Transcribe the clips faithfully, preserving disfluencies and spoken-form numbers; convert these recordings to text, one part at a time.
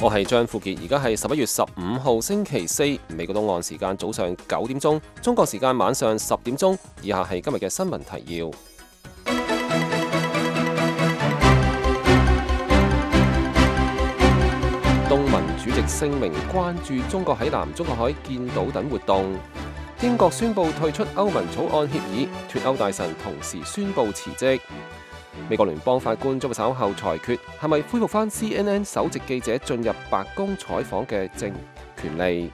我係張富傑，而家係十一月十五號星期四，美國東岸時間早上九點鐘，中國時間晚上十點鐘。以下係今日嘅新聞提要。東盟主席聲明關注中國喺南中國海建島等活動。英國宣布退出歐盟草案協議，脫歐大臣同時宣布辭職。美國聯邦法官將會稍後裁決，係咪恢復返 C N N 首席記者進入白宮採訪嘅政權利。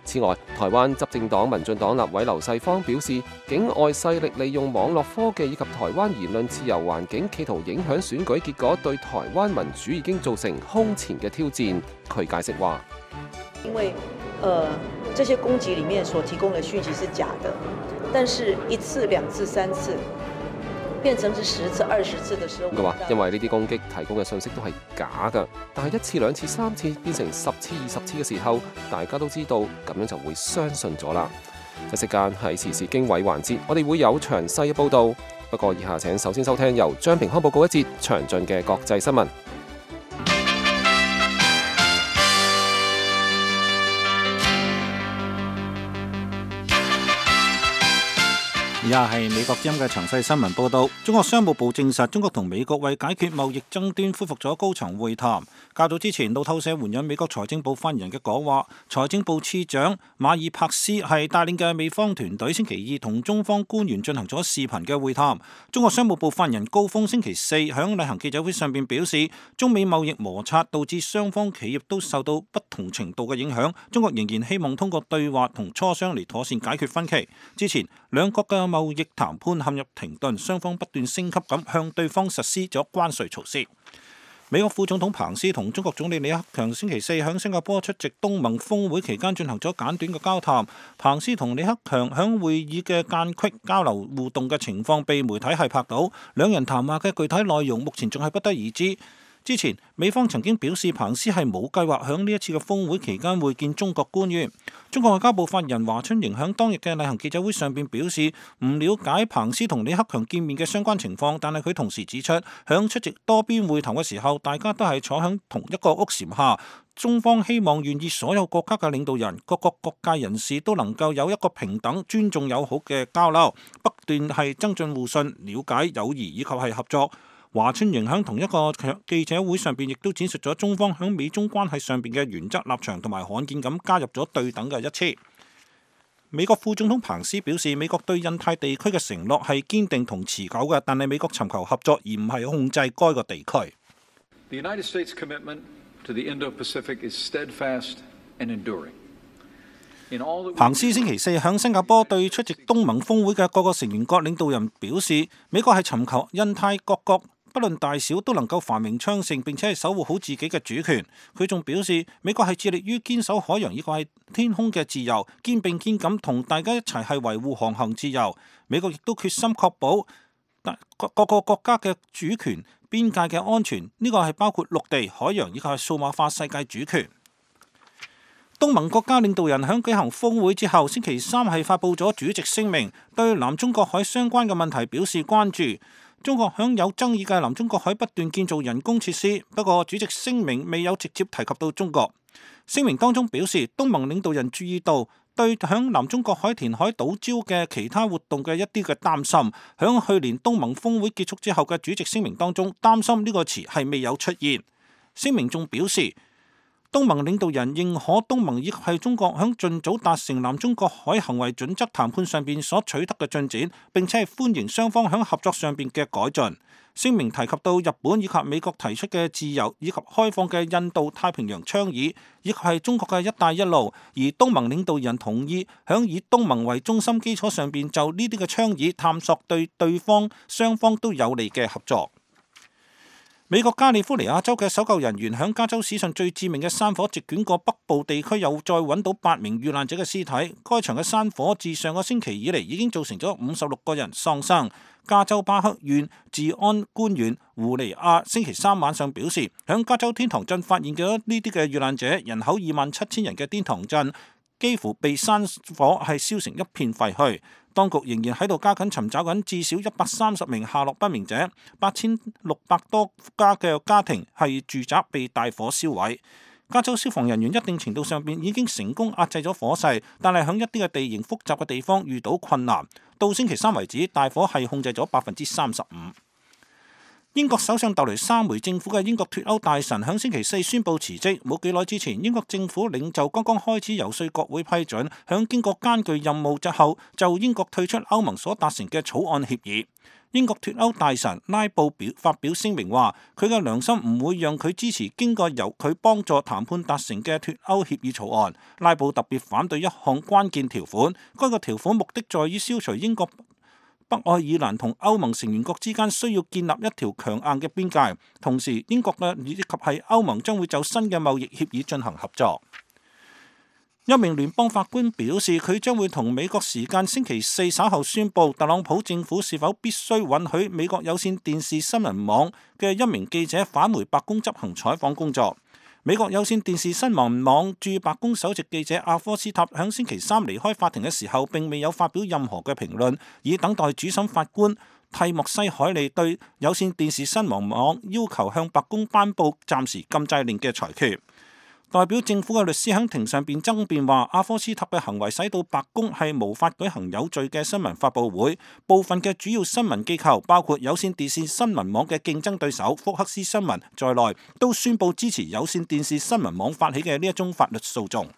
此外，台灣執政黨民進黨立委劉世芳表示，境外勢力利用網絡科技以及台灣言論自由環境，企圖影響選舉結果，對台灣民主已經造成空前嘅挑戰。佢解釋話：因為，呃，這些攻擊裡面所提供的訊息是假的，但是一次、兩次、三次，變成是十次、二十次的時候，佢話因為呢啲攻擊提供嘅信息都係假㗎，但係一次、兩次、三次變成十次、二十次嘅時候，大家都知道，咁樣就會相信咗啦。一息間喺時事經緯環節，我哋會有詳細嘅報導。不過以下請首先收聽由張平康報告一節詳盡嘅國際新聞。以下係美國之音嘅詳細新聞報導。中國商務部證實，中國同美國為解決貿易爭端恢復咗高層會談。較早之前，路透社援引美國財政部發言人嘅講話，財政部次長馬爾帕斯係帶領嘅美方團隊星期二同中方官員進行咗視頻嘅會談。中國商務部發言人高峰星期四響例行記者會上邊表示，中美貿易摩擦導致雙方企業都受到不同程度嘅影響，中國仍然希望通過對話同磋商嚟妥善解決分歧。之前兩國嘅貿易談判陷入停頓，雙方不斷升級咁向對方實施咗關稅措施。美國副總統彭斯同中國總理李克強星期四喺新加坡出席東盟峰會期間進行咗簡短嘅交談。彭斯同李克強喺會議嘅間隙交流互動嘅情況被媒體係拍到，兩人談話嘅具體內容目前仲係不得而知。之前美方曾經表示彭斯係冇計劃喺呢一次嘅峰會期間會見中國官員。中國外交部發言人華春瑩喺當日嘅例行記者會上邊表示唔了解彭斯同李克強見面嘅相關情況，但係佢同時指出，響出席多邊會談嘅時候，大家都係坐響同一個屋檐下。中方希望願意所有國家嘅領導人、各國各界人士都能夠有一個平等、尊重、友好嘅交流，不斷係增進互信、了解、友誼以及係合作。華春瑩喺同一個記者會上邊亦都展述咗中方喺美中關係上邊嘅原則立場，同埋罕見咁加入咗對等嘅一詞。美國副總統彭斯表示，美國對印太地區嘅承諾係堅定同持久嘅，但係美國尋求合作而唔係控制該個地區。The United States commitment to the Indo-Pacific is steadfast and enduring. 彭斯星期四喺新加坡對出席東盟峰會嘅各個成員國領導人表示，美國係尋求印太各國不論大小都能夠繁榮昌盛，並且係守護好自己嘅主權。佢仲表示，美國係致力於堅守海洋以及係天空嘅自由，肩並肩咁同大家一齊係維護航行自由。美國亦都決心確保各各個國家嘅主權、邊界嘅安全，呢個係包括陸地、海洋以及係數碼化世界主權。東盟國家領導人喺舉行峰會之後，星期三係發布咗主席聲明，對南中國海相關嘅問題表示關注。中國響有爭議嘅南中國海不斷建造人工設施，不過主席聲明未有直接提及到中國。聲明當中表示，東盟領導人注意到對響南中國海填海島礁嘅其他活動嘅一啲嘅擔心。響去年東盟峰會結束之後嘅主席聲明當中，擔心呢個詞係未有出現。聲明仲表示，東盟領導人認可東盟以及係中國響盡早達成南中國海行為準則談判上邊所取得嘅進展，並且係歡迎雙方響合作上邊嘅改進。聲明提及到日本以及美國提出嘅自由以及開放嘅印度太平洋倡議，以及係中國嘅一帶一路，而東盟領導人同意響以東盟為中心基礎上邊就呢啲嘅倡議探索對對方雙方都有利嘅合作。美國加利福尼亞州嘅搜救人員響加州史上最致命嘅山火席捲過北部地區，又再揾到八名遇難者嘅屍體。該場嘅山火自上個星期以嚟已經造成咗五十六個人喪生。加州巴克縣治安官員胡尼亞星期三晚上表示，響加州天堂鎮發現咗呢啲嘅遇難者，人口二萬七千人嘅天堂鎮幾乎被山火係燒成一片廢墟。當局仍然喺度加緊尋找緊至少一百三十名下落不明者，八千六百多家嘅家庭係住宅被大火燒毀。加州消防人員一定程度上邊已經成功壓制咗火勢，但係響一啲嘅地形複雜嘅地方遇到困難。到星期三為止，大火係控制咗百分之三十五。英國首相特雷莎梅政府嘅英國脫歐大臣響星期四宣布辭職。冇幾耐之前，英國政府領袖剛剛開始游說國會批准，響經過艱巨任務之後，就英國退出歐盟所達成嘅草案協議。英國脫歐大臣拉布表發表聲明話，佢嘅良心唔會讓佢支持經過由佢幫助談判達成嘅脫歐協議草案。拉布特別反對一項關鍵條款，該個條款目的在於消除英國北愛爾蘭同歐盟成員國之間需要建立一條強硬嘅邊界，同時英國嘅以及係歐盟將會就新嘅貿易協議進行合作。一名聯邦法官表示，佢將會同美國時間星期四稍後宣布特朗普政府是否必須允許美國有線電視新聞網嘅一名記者返回白宮執行採訪工作。美國有線電視新聞網駐白宮首席記者阿科斯塔響星期三離開法庭嘅時候，並未有發表任何嘅評論，以等待主審法官蒂莫西海利對有線電視新聞網要求向白宮頒布暫時禁制令嘅裁決。代表政府嘅律師喺庭上邊爭辯話，阿科斯塔嘅行為使到白宮係無法舉行有序嘅新聞發佈會。部分嘅主要新聞機構，包括有線電視新聞網嘅競爭對手福克斯新聞在內，都宣布支持有線電視新聞網發起嘅呢一宗法律訴訟。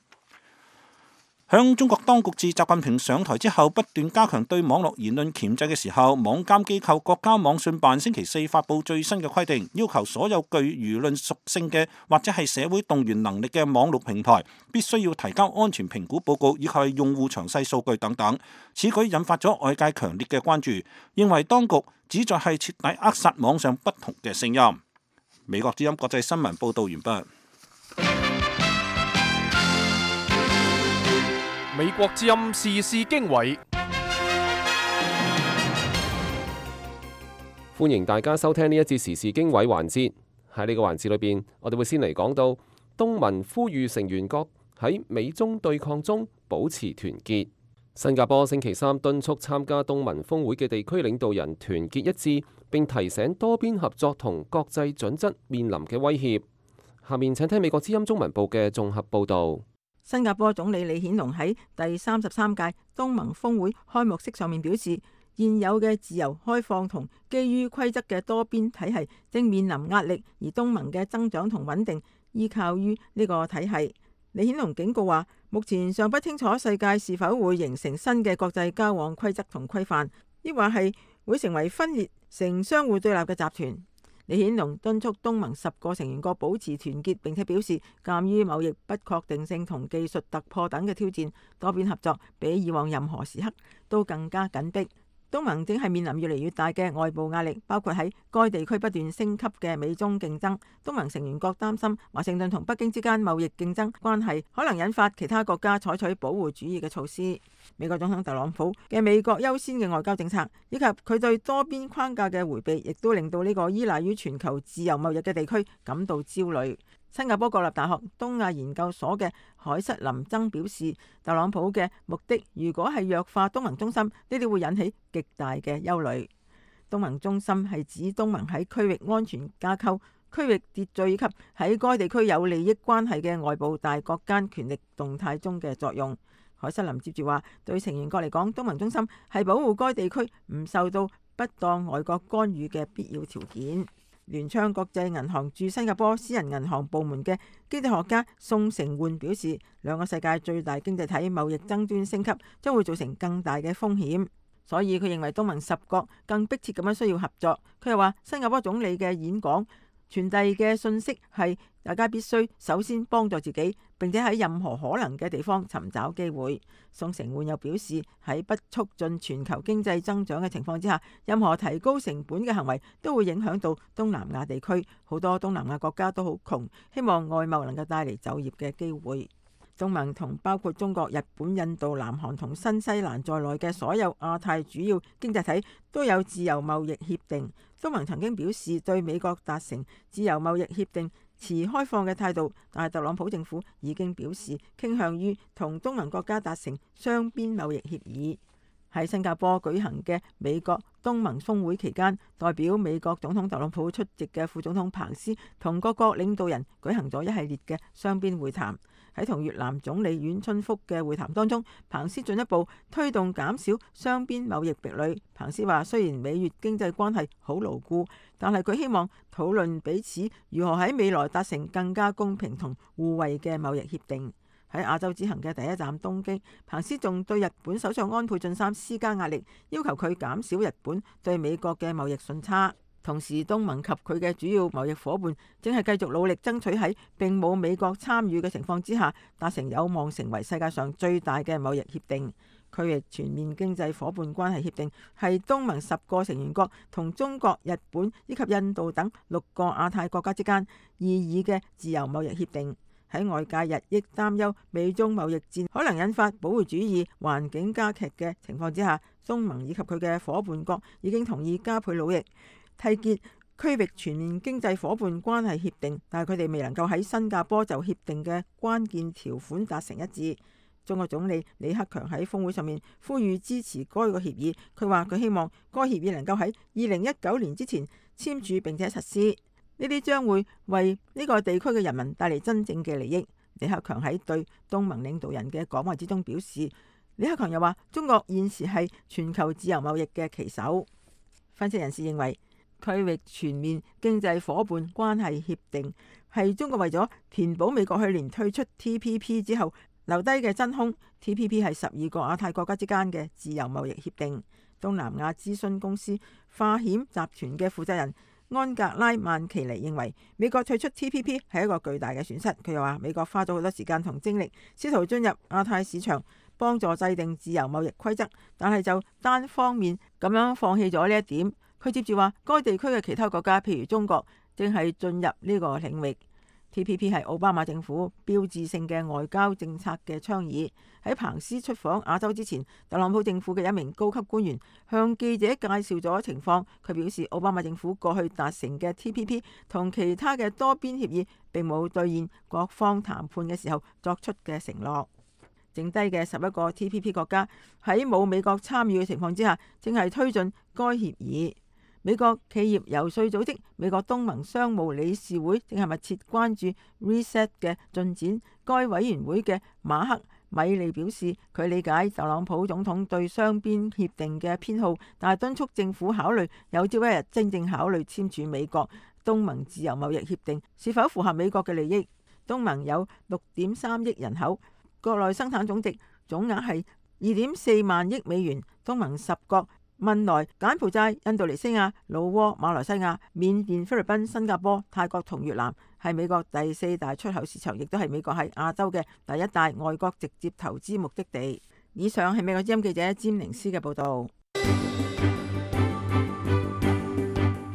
響中國當局自習近平上台之後，不斷加強對網絡言論鉗制嘅時候，網監機構國家網信辦星期四發布最新嘅規定，要求所有具輿論屬性嘅或者係社會動員能力嘅網絡平台，必須要提交安全評估報告以及係用戶詳細數據等等。此舉引發咗外界強烈嘅關注，認為當局旨在係徹底扼殺網上不同嘅聲音。美國之音國際新聞報道完畢。美國之音時事經緯，歡迎大家收聽呢一節時事經緯環節。喺呢個環節裏邊，我哋會先嚟講到東盟呼籲成員國喺美中對抗中保持團結。新加坡星期三敦促參加東盟峰會嘅地區領導人團結一致，並提醒多邊合作同國際準則面臨嘅威脅。下面請聽美國之音中文部嘅綜合報導。新加坡總理李顯龍喺第三十三屆東盟峰會開幕式上面表示，現有嘅自由開放同基於規則嘅多邊體系正面臨壓力，而東盟嘅增長同穩定依靠於呢個體系。李顯龍警告話，目前尚不清楚世界是否會形成新嘅國際交往規則同規範，抑或係會成為分裂成相互對立嘅集團。李顯龍敦促東盟十個成員國保持團結，並且表示，鑑於貿易不確定性同技術突破等嘅挑戰，多邊合作比以往任何時刻都更加緊迫。東盟正係面臨越嚟越大嘅外部壓力，包括喺該地區不斷升級嘅美中競爭。東盟成員國擔心華盛頓同北京之間貿易競爭關係可能引發其他國家採取保護主義嘅措施。美國總統特朗普嘅美國優先嘅外交政策，以及佢對多邊框架嘅迴避，亦都令到呢個依賴於全球自由貿易嘅地區感到焦慮。新加坡國立大學東亞研究所嘅海瑟林曾表示，特朗普嘅目的如果係弱化東盟中心，呢啲會引起極大嘅憂慮。東盟中心係指東盟喺區域安全架構、區域秩序以及喺該地區有利益關係嘅外部大國間權力動態中嘅作用。海瑟林接住話，對成員國嚟講，東盟中心係保護該地區唔受到不當外國干預嘅必要條件。聯昌國際銀行駐新加坡私人銀行部門嘅經濟學家宋成煥表示，兩個世界最大經濟體貿易爭端升級將會造成更大嘅風險，所以佢認為東盟十國更迫切咁樣需要合作。佢又話，新加坡總理嘅演講傳遞嘅信息係大家必須首先幫助自己，並且喺任何可能嘅地方尋找機會。宋成煥又表示，喺不促進全球經濟增長嘅情況之下，任何提高成本嘅行為都會影響到東南亞地區。好多東南亞國家都好窮，希望外貿能夠帶嚟就業嘅機會。東盟同包括中國、日本、印度、南韓同新西蘭在內嘅所有亞太主要經濟體都有自由貿易協定。東盟曾經表示對美國達成自由貿易協定持開放嘅態度，但係特朗普政府已經表示傾向於同東盟國家達成雙邊貿易協議。喺新加坡舉行嘅美國東盟峰會期間，代表美國總統特朗普出席嘅副總統彭斯同各國領導人舉行咗一系列嘅雙邊會談。喺同越南總理阮春福嘅會談當中，彭斯進一步推動減少雙邊貿易壁壘。彭斯話：雖然美越經濟關係好牢固，但係佢希望討論彼此如何喺未來達成更加公平同互惠嘅貿易協定。喺亞洲之行嘅第一站東京，彭斯仲對日本首相安倍晉三施加壓力，要求佢減少日本對美國嘅貿易順差。同時，東盟及佢嘅主要貿易夥伴正係繼續努力爭取喺並冇美國參與嘅情況之下，達成有望成為世界上最大嘅貿易協定。區域全面經濟夥伴關係協定係東盟十個成員國同中國、日本以及印度等六個亞太國家之間擬議嘅自由貿易協定。喺外界日益擔憂美中貿易戰可能引發保護主義環境加劇嘅情況之下，東盟以及佢嘅夥伴國已經同意加倍努力締結區域全面經濟夥伴關係協定，但係佢哋未能夠喺新加坡就協定嘅關鍵條款達成一致。中國總理李克強喺峰會上面呼籲支持該個協議，佢話佢希望該協議能夠喺二零一九年之前簽署並且實施。呢啲將會為呢個地區嘅人民帶嚟真正嘅利益。李克強喺對東盟領導人嘅講話之中表示，李克強又話中國現時係全球自由貿易嘅旗手。分析人士認為，區域全面經濟夥伴關係協定係中國為咗填補美國去年退出 T P P 之後留低嘅真空。 T P P 係十二個亞太國家之間嘅自由貿易協定。東南亞諮詢公司化險集團嘅負責人安格拉曼奇尼認為，美國退出 T P P 係一個巨大嘅損失。佢又話，美國花咗好多時間同精力，試圖進入亞太市場，幫助制定自由貿易規則，但係就單方面咁樣放棄咗呢一點。佢接住話，該地區嘅其他國家，譬如中國，正係進入呢個領域。T P P 係奧巴馬政府標誌性嘅外交政策嘅倡議。喺彭斯出訪亞洲之前，特朗普政府嘅一名高級官員向記者介紹咗情況。佢表示，奧巴馬政府過去達成嘅 T P P 同其他嘅多邊協議並冇兌現各方談判嘅時候作出嘅承諾。剩低嘅十一個 T P P 國家喺冇美國參與嘅情況之下，正係推進該協議。美國企業游說組織美國東盟商務理事會正係密切關注 Reset 嘅進展。該委員會嘅馬克米利表示，佢理解特朗普總統對雙邊協定嘅偏好，但係敦促政府考慮有朝一日真正考慮簽署美國東盟自由貿易協定是否符合美國嘅利益。東盟有六點三億人口，國內生產總值總額係二點四萬億美元。東盟十國汶萊、柬埔寨、印度尼西亞、老撾、馬來西亞、緬甸、菲律賓、新加坡、泰國同越南係美國第四大出口市場，亦都係美國喺亞洲嘅第一大外國直接投資目的地。以上係美國之音記者詹寧斯嘅報道。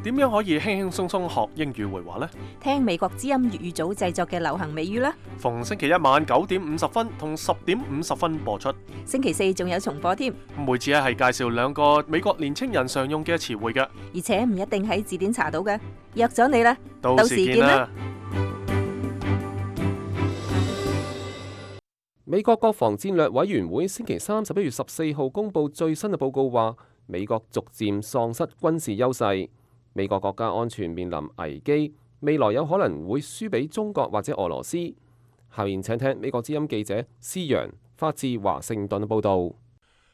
點樣可以輕輕鬆鬆學英語會話呢？聽美國之音粵語組製作嘅流行美語啦。逢星期一晚九點五十分同十點五十分播出。星期四仲有重播添。每次咧係介紹兩個美國年青人常用嘅詞彙嘅，而且唔一定喺字典查到嘅。約咗你啦，到時見啦。美國國防戰略委員會星期三十一月十四號公布最新嘅報告，話美國逐漸喪失軍事優勢。美國國家安全面臨危機，未來有可能會輸俾中國或者俄羅斯。下面請聽美國之音記者施陽發自華盛頓嘅報導。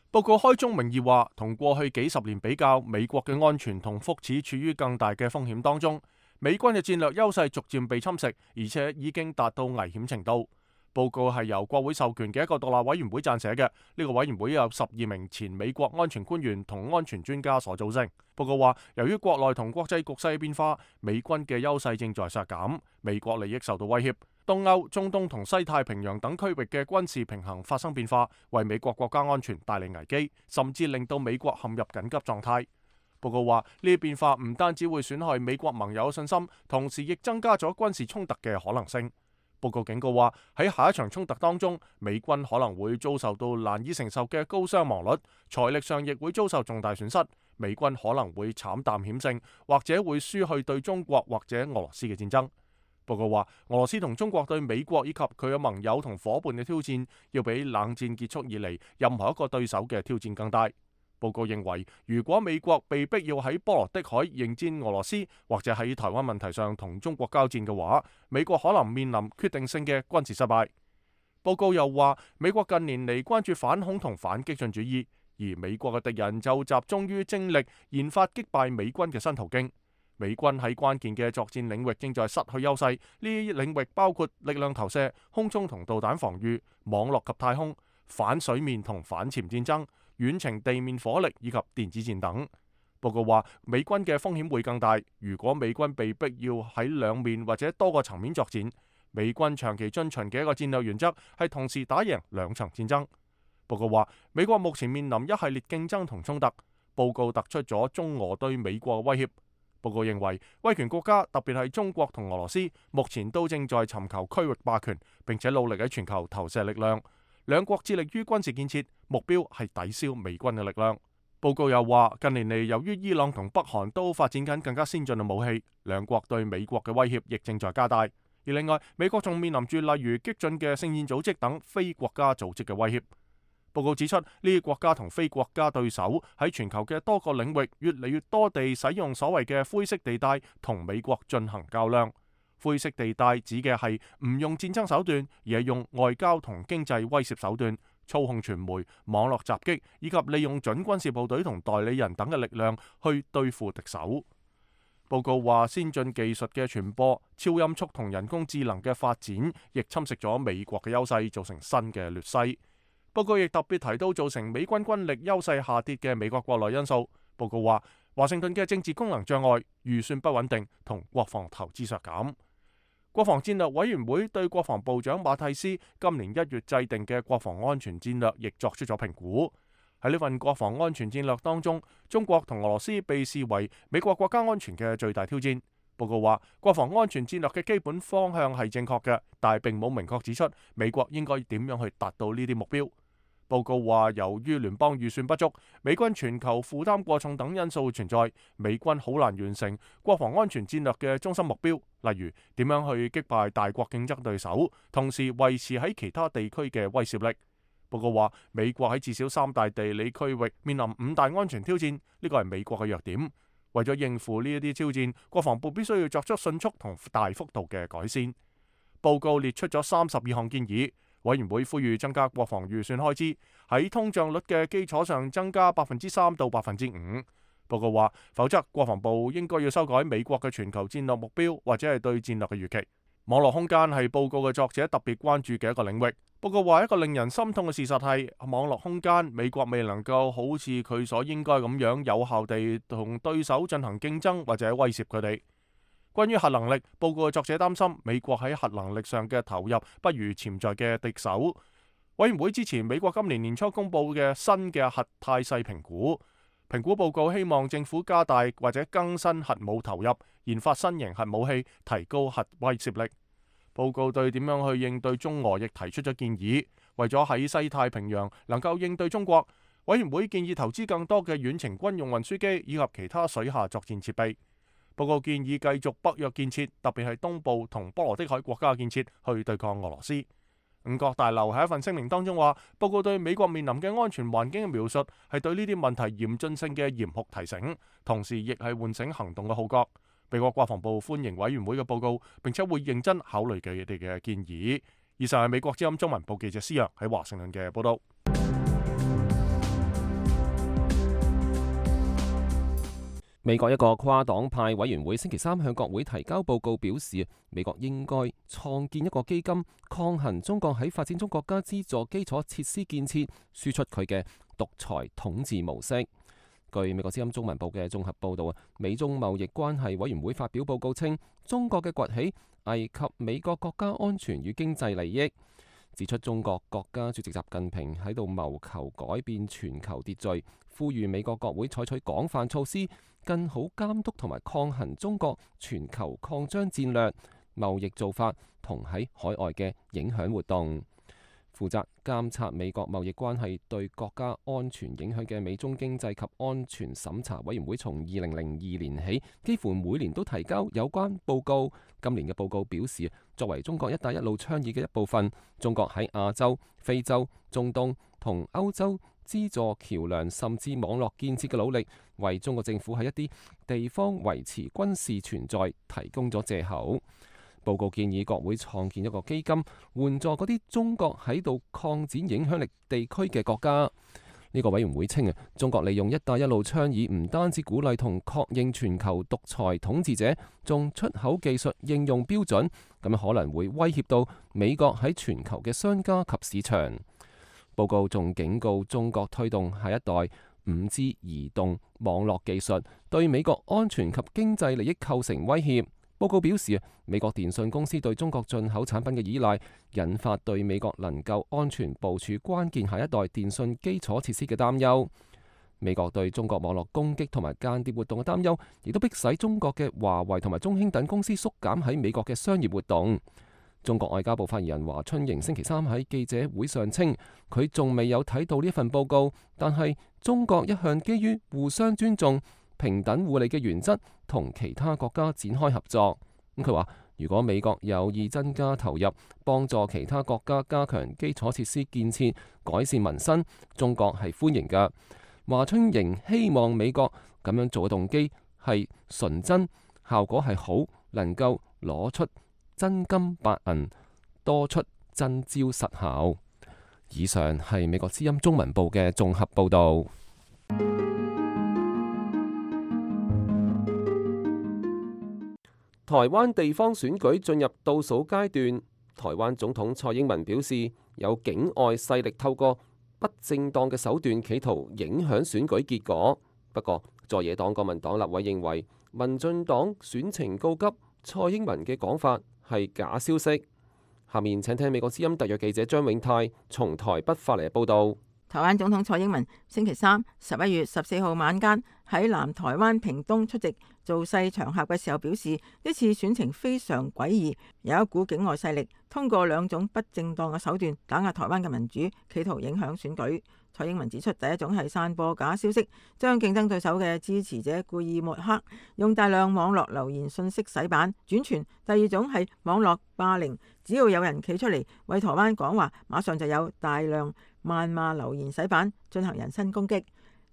報告開宗明義話，同過去幾十年比較，美國嘅安全同福祉處於更大嘅風險當中。美軍嘅戰略優勢逐漸被侵蝕，而且已經達到危險程度。報告係由國會授權嘅一個獨立委員會撰寫嘅，呢個委員會有十二名前美國安全官員同安全專家所組成。報告話，由於國內同國際局勢變化，美軍嘅優勢正在削減，美國利益受到威脅，東歐、中東同西太平洋等區域嘅軍事平衡發生變化，為美國國家安全帶嚟危機，甚至令到美國陷入緊急狀態。報告話，呢啲變化唔單止會損害美國盟友嘅信心，同時亦增加咗軍事衝突嘅可能性。報告警告話，喺下一場衝突當中，美軍可能會遭受到難以承受嘅高傷亡率，財力上亦會遭受重大損失。美軍可能會慘淡險勝，或者會輸去對中國或者俄羅斯嘅戰爭。報告話，俄羅斯同中國對美國以及佢嘅盟友同伙伴嘅挑戰，要比冷戰結束以嚟任何一個對手嘅挑戰更大。報告認為，如果美國被逼要喺波羅的海迎戰俄羅斯，或者喺台灣問題上同中國交戰嘅話，美國可能面臨決定性嘅軍事失敗。報告又話，美國近年嚟關注反恐同反激進主義，而美國嘅敵人就集中於精力研發擊敗美軍嘅新途徑。美軍喺關鍵嘅作戰領域正在失去優勢，呢啲領域包括力量投射、空中同導彈防禦、網絡及太空、反水面同反潛戰爭、遠程地面火力以及電子戰等。報告話，美軍嘅風險會更大，如果美軍被逼要喺兩面或者多個層面作戰。美軍長期遵循嘅一個戰略原則係同時打贏兩場戰爭。報告話，美國目前面臨一系列競爭同衝突。報告突出咗中俄對美國嘅威脅。報告認為，威權國家特別係中國同俄羅斯，目前都正在尋求區域霸權，並且努力喺全球投射力量。兩國致力於軍事建設，目標係抵消美軍嘅力量。報告又話，近年嚟由於伊朗同北韓都發展緊更加先進嘅武器，兩國對美國嘅威脅亦正在加大。而另外，美國仲面臨住例如激進嘅聖戰組織等非國家組織嘅威脅。報告指出，呢啲國家同非國家對手喺全球嘅多個領域越嚟越多地使用所謂嘅灰色地帶同美國進行較量。灰色地帶指嘅係唔用戰爭手段，而係用外交同經濟威懾手段，操控傳媒、網絡襲擊以及利用準軍事部隊同代理人等嘅力量去對付敵手。報告話，先進技術嘅傳播、超音速同人工智能嘅發展，亦侵蝕咗美國嘅優勢，造成新嘅劣勢。報告亦特別提到造成美軍軍力優勢下跌嘅美國國內因素。報告話，華盛頓嘅政治功能障礙、預算不穩定同國防投資削減。國防戰略委員會對國防部長馬蒂斯今年一月制定嘅國防安全戰略亦作出咗評估。喺呢份國防安全戰略當中，中國同俄羅斯被視為美國國家安全嘅最大挑戰。報告話，國防安全戰略嘅基本方向係正確嘅，但係並冇明確指出美國應該點樣去達到呢啲目標。報告話，由於聯邦預算不足、美軍全球負擔過重等因素存在，美軍好難完成國防安全戰略嘅中心目標，例如點樣去擊敗大國競爭對手，同時維持喺其他地區嘅威懾力。報告話，美國喺至少三大地理區域面臨五大安全挑戰，呢個係美國嘅弱點。為咗應付呢一啲挑戰，國防部必須要作出迅速同大幅度嘅改善。報告列出咗三十二項建議。委員會呼籲增加國防預算開支，喺通脹率嘅基礎上增加百分之三到百分之五。報告話，否則國防部應該要修改美國嘅全球戰略目標，或者係對戰略嘅預期。網絡空間係報告嘅作者特別關注嘅一個領域。報告話，一個令人心痛嘅事實係，網絡空間美國未能夠好似佢所應該咁樣有效地同對手進行競爭或者威懾佢哋。關於核能力，報告嘅作者擔心美國喺核能力上嘅投入不如潛在嘅敵手。委員會支持美國今年年初公布嘅新嘅核態勢評估。評估報告希望政府加大或者更新核武投入，研發新型核武器，提高核威懾力。報告對點樣去應對中俄亦提出咗建議。為咗喺西太平洋能夠應對中國，委員會建議投資更多嘅遠程軍用運輸機以及其他水下作戰設備。報告建議繼續北約建設，特別係東部同波羅的海國家嘅建設，去對抗俄羅斯。五角大樓喺一份聲明當中話，報告對美國面臨嘅安全環境嘅描述係對呢啲問題嚴峻性嘅嚴酷提醒，同時亦係喚醒行動嘅號角。美國國防部歡迎委員會嘅報告，並且會認真考慮佢哋嘅建議。以上係美國之音中文部記者施洋喺華盛頓嘅報道。美國一個跨黨派委員會星期三向國會提交報告，表示美國應該創建一個基金，抗衡中國喺發展中國家資助基礎設施建設，輸出佢嘅獨裁統治模式。據美國之音中文部嘅綜合報導，美中貿易關係委員會發表報告稱，中國嘅崛起危及美國國家安全與經濟利益，指出中國國家主席習近平喺度謀求改變全球秩序，呼籲美國國會採取廣泛措施，更好監督同埋抗衡中國全球擴張戰略、貿易做法同喺海外嘅影響活動。負責監察美國貿易關係對國家安全影響嘅美中經濟及安全審查委員會，從二零零二年起幾乎每年都提交有關報告。今年嘅報告表示，作為中國一帶一路倡議嘅一部分，中國喺亞洲、非洲、中東同歐洲資助橋樑甚至網絡建設嘅努力，為中國政府喺一啲地方維持軍事存在提供咗藉口。報告建議國會創建一個基金，援助嗰啲中國喺度擴展影響力地區嘅國家。呢個委員會稱啊，中國利用一帶一路倡議唔單止鼓勵同確認全球獨裁統治者，仲出口技術應用標準，咁樣可能會威脅到美國喺全球嘅商家及市場。報告仲警告中國推動下一代五 G 移動網絡技術，對美國安全及經濟利益構成威脅。報告表示，美國電信公司對中國進口產品嘅依賴，引發對美國能夠安全部署關鍵下一代電信基礎設施嘅擔憂。美國對中國網絡攻擊同埋間諜活動嘅擔憂，亦都迫使中國嘅華為同埋中興等公司縮減喺美國嘅商業活動。中國外交部發言人華春瑩星期三喺記者會上稱，佢仲未有睇到呢份報告，但係中國一向基於互相尊重、平等互利嘅原則，同其他國家展開合作。咁佢話，如果美國有意增加投入，幫助其他國家加強基礎設施建設、改善民生，中國係歡迎嘅。華春瑩希望美國咁樣做嘅動機係純真，效果係好，能夠攞出真金白銀，多出真招實效。以上係美國之音中文部嘅綜合報導。台灣地方選舉進入倒數階段，台灣總統蔡英文表示，有境外勢力透過不正當嘅手段企圖影響選舉結果。不過，在野黨國民黨立委認為，民進黨選情告急，蔡英文嘅講法係假消息。下面請聽美國之音特約記者張永泰從台北發嚟嘅報導。台灣總統蔡英文星期三十一月十四號晚間喺南台灣屏東出席造勢場合嘅時候表示，呢次選情非常詭異，有一股境外勢力通過兩種不正當嘅手段打壓台灣嘅民主，企圖影響選舉。蔡英文指出，第一種係散播假消息，將競爭對手嘅支持者故意抹黑，用大量網絡留言信息洗版轉傳；第二種係網絡霸凌，只要有人企出嚟為台灣講話，馬上就有大量謾罵留言洗版，進行人身攻擊。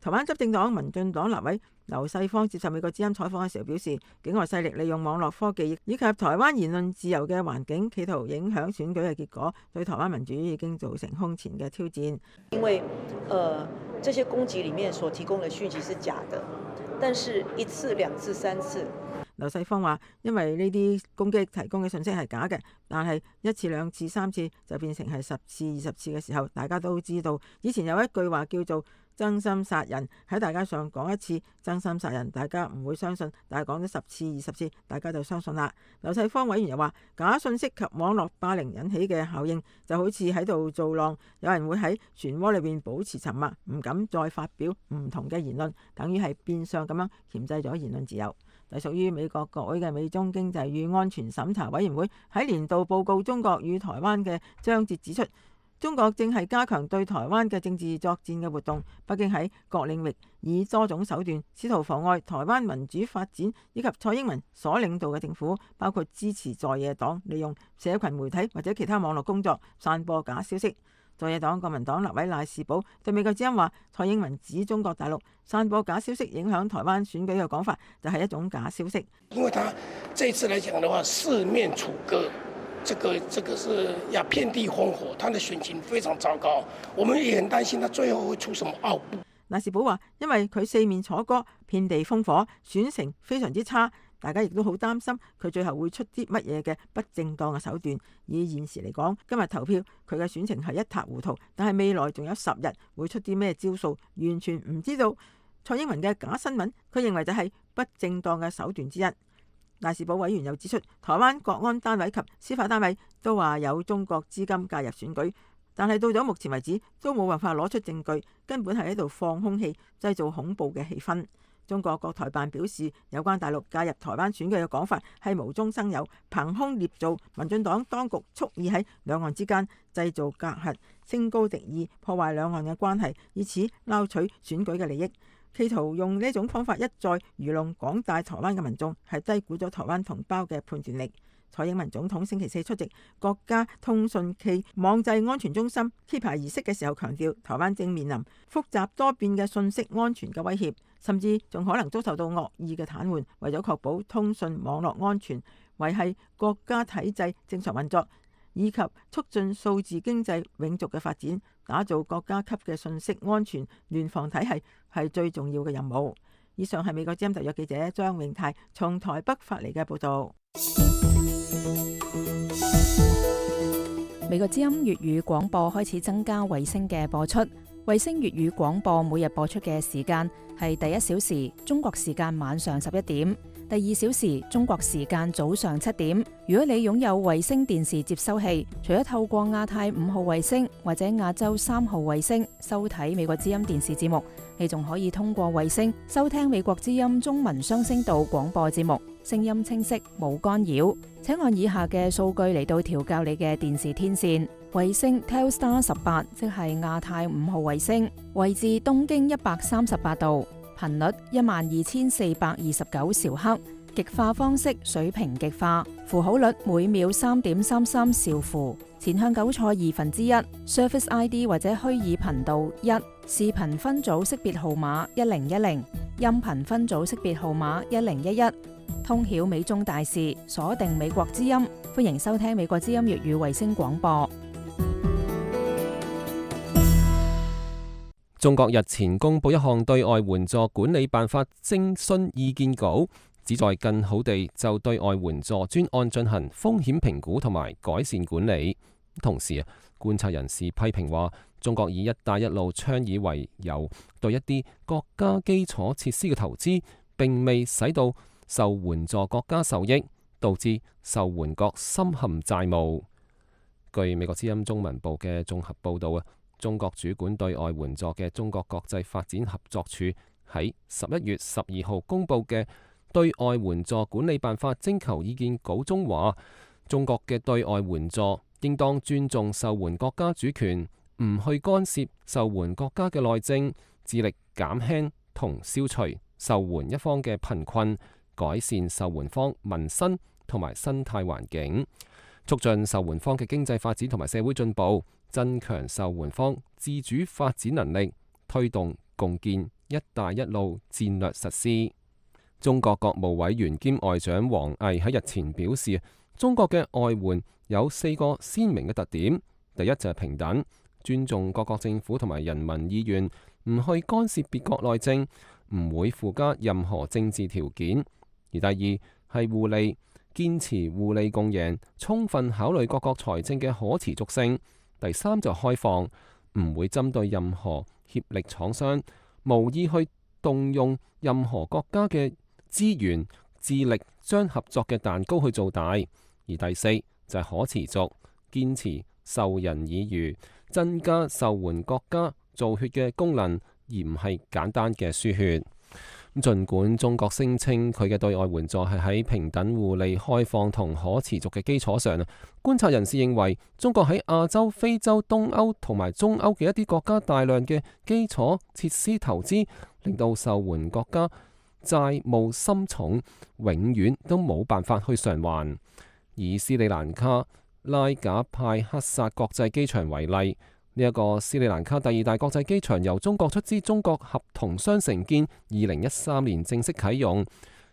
台灣執政黨民進黨立委劉世芳接受美國之音採訪嘅時候表示，境外勢力利用網絡科技以及台灣言論自由嘅環境，企圖影響選舉嘅結果，對台灣民主已經造成空前嘅挑戰。因為，呃，這些攻擊裡面所提供的訊息是假的，但是一次、兩次、三次。劉世芳話，因為呢啲攻擊提供嘅信息係假嘅，但係一次、兩次、三次就變成係十次、二十次嘅時候，大家都知道。以前有一句話叫做真心殺人，喺大街上講一次真心殺人，大家唔會相信，但係講咗十次、二十次，大家就相信啦。劉世芳委員又話，假信息及網絡霸凌引起嘅效應就好似喺度造浪，有人會喺漩渦裏邊保持沉默，唔敢再發表唔同嘅言論，等於係變相咁樣鉗制咗言論自由。係屬於美國國會嘅美中經濟與安全審查委員會喺年度報告中國與台灣嘅章節指出，中國正係加強對台灣嘅政治作戰嘅活動，北京喺各領域以多種手段試圖妨礙台灣民主發展，以及蔡英文所領導嘅政府，包括支持在野黨利用社群媒體或者其他網絡工作散播假消息。在野黨國民黨立委賴士葆對美國之音話，蔡英文指中國大陸散播假消息影響台灣選舉嘅講法就係一種假消息。因為他這次來講的話，四面楚歌，這個這個是要遍地烽火，他的選情非常糟糕，我們也很擔心他最後會出什麼奧布。賴士葆話，因為佢四面楚歌，遍地烽火，選情非常之差。大家亦都好擔心佢最後會出啲乜嘢嘅不正當嘅手段。以現時嚟講，今日投票佢嘅選情係一塌糊塗，但係未來仲有十日會出啲咩招數，完全唔知道。蔡英文嘅假新聞，佢認為就係不正當嘅手段之一。賴士葆委員又指出，台灣國安單位及司法單位都話有中國資金介入選舉，但係到咗目前為止都冇辦法攞出證據，根本係喺度放空氣，製造恐怖嘅氣氛。中國國台辦表示，有關大陸介入台灣選舉嘅講法係無中生有、憑空捏造，民進黨當局蓄意喺兩岸之間製造隔閡，升高敵意，破壞兩岸嘅關係，以此撈取選舉嘅利益，企圖用呢種方法一再愚弄廣大台灣嘅民眾，係低估咗台灣同胞嘅判斷力。蔡英文總統星期四出席國家通訊暨網際安全中心揭牌儀式嘅時候，強調台灣正面臨複雜多變嘅信息安全嘅威脅，甚至仲可能遭受到惡意嘅癱瘓。為咗確保通訊網絡安全，維繫國家體制正常運作，以及促進數字經濟永續嘅發展，打造國家級嘅信息安全聯防體系係最重要嘅任務。以上係美國之音特約記者張永泰從台北發嚟嘅報道。美國之音粵語廣播開始增加衛星嘅播出，衛星粵語廣播每日播出嘅時間係第一小時中國時間晚上十一點，第二小時中國時間早上七點。如果你擁有衛星電視接收器，除咗透過亞太五號衛星或者亞洲三號衛星收睇美國之音電視節目，你仲可以通過衛星收聽美國之音中文雙聲道廣播節目，聲音清晰冇干擾。請按以下嘅數據嚟到調校你嘅電視天線。衛星 Telstar 十八，即係亞太五號衛星，位置東經一百三十八度，頻率一萬二千四百二十九兆赫，極化方式水平極化，符號率每秒三點三三兆符，前向糾錯二分之一 ，Service I D 或者虛擬頻道一，視頻分組識別號碼一零一零，音頻分組識別號碼一零一一。通曉美中大事，鎖定美國之音，歡迎收聽美國之音粵語衛星廣播。中國日前公布一項對外援助管理辦法徵詢意見稿，旨在更好地就對外援助專案進行風險評估同埋改善管理。同時啊，觀察人士批評話，中國以一帶一路倡議為由，對一啲國家基礎設施嘅投資並未使到受援助國家受益，導致受援國深陷債務。據美國之音中文部嘅綜合報導啊，中國主管對外援助嘅中國國際發展合作處喺十一月十二號公佈嘅對外援助管理辦法徵求意見稿中話，中國嘅對外援助應當尊重受援國家主權，唔去干涉受援國家嘅內政，致力減輕同消除受援一方嘅貧困，改善受援方民生同埋生態環境，促進受援方嘅經濟發展同埋社會進步，增強受援方自主發展能力，推動共建一帶一路戰略實施。中國國務委員兼外長王毅喺日前表示，中國嘅外援有四個鮮明嘅特點，第一就係平等，尊重各國政府同埋人民意願，唔去干涉別國內政，唔會附加任何政治條件。而第二係互利，堅持互利共贏，充分考慮各國財政嘅可持續性。第三就開放，唔會針對任何協力廠商，無意去動用任何國家嘅資源，致力將合作嘅蛋糕去做大。而第四就係可持續，堅持授人以漁，增加受援國家造血嘅功能，而唔係簡單嘅輸血。儘管中國聲稱佢嘅對外援助係喺平等、互利、開放同可持續嘅基礎上，觀察人士認為中國喺亞洲、非洲、東歐同埋中歐嘅一啲國家大量嘅基礎設施投資，令到受援國家債務深重，永遠都冇辦法去償還。以斯里蘭卡拉賈派克薩國際機場為例，呢一個斯里蘭卡第二大國際機場由中國出資，中國合同商承建，二零一三年正式啟用，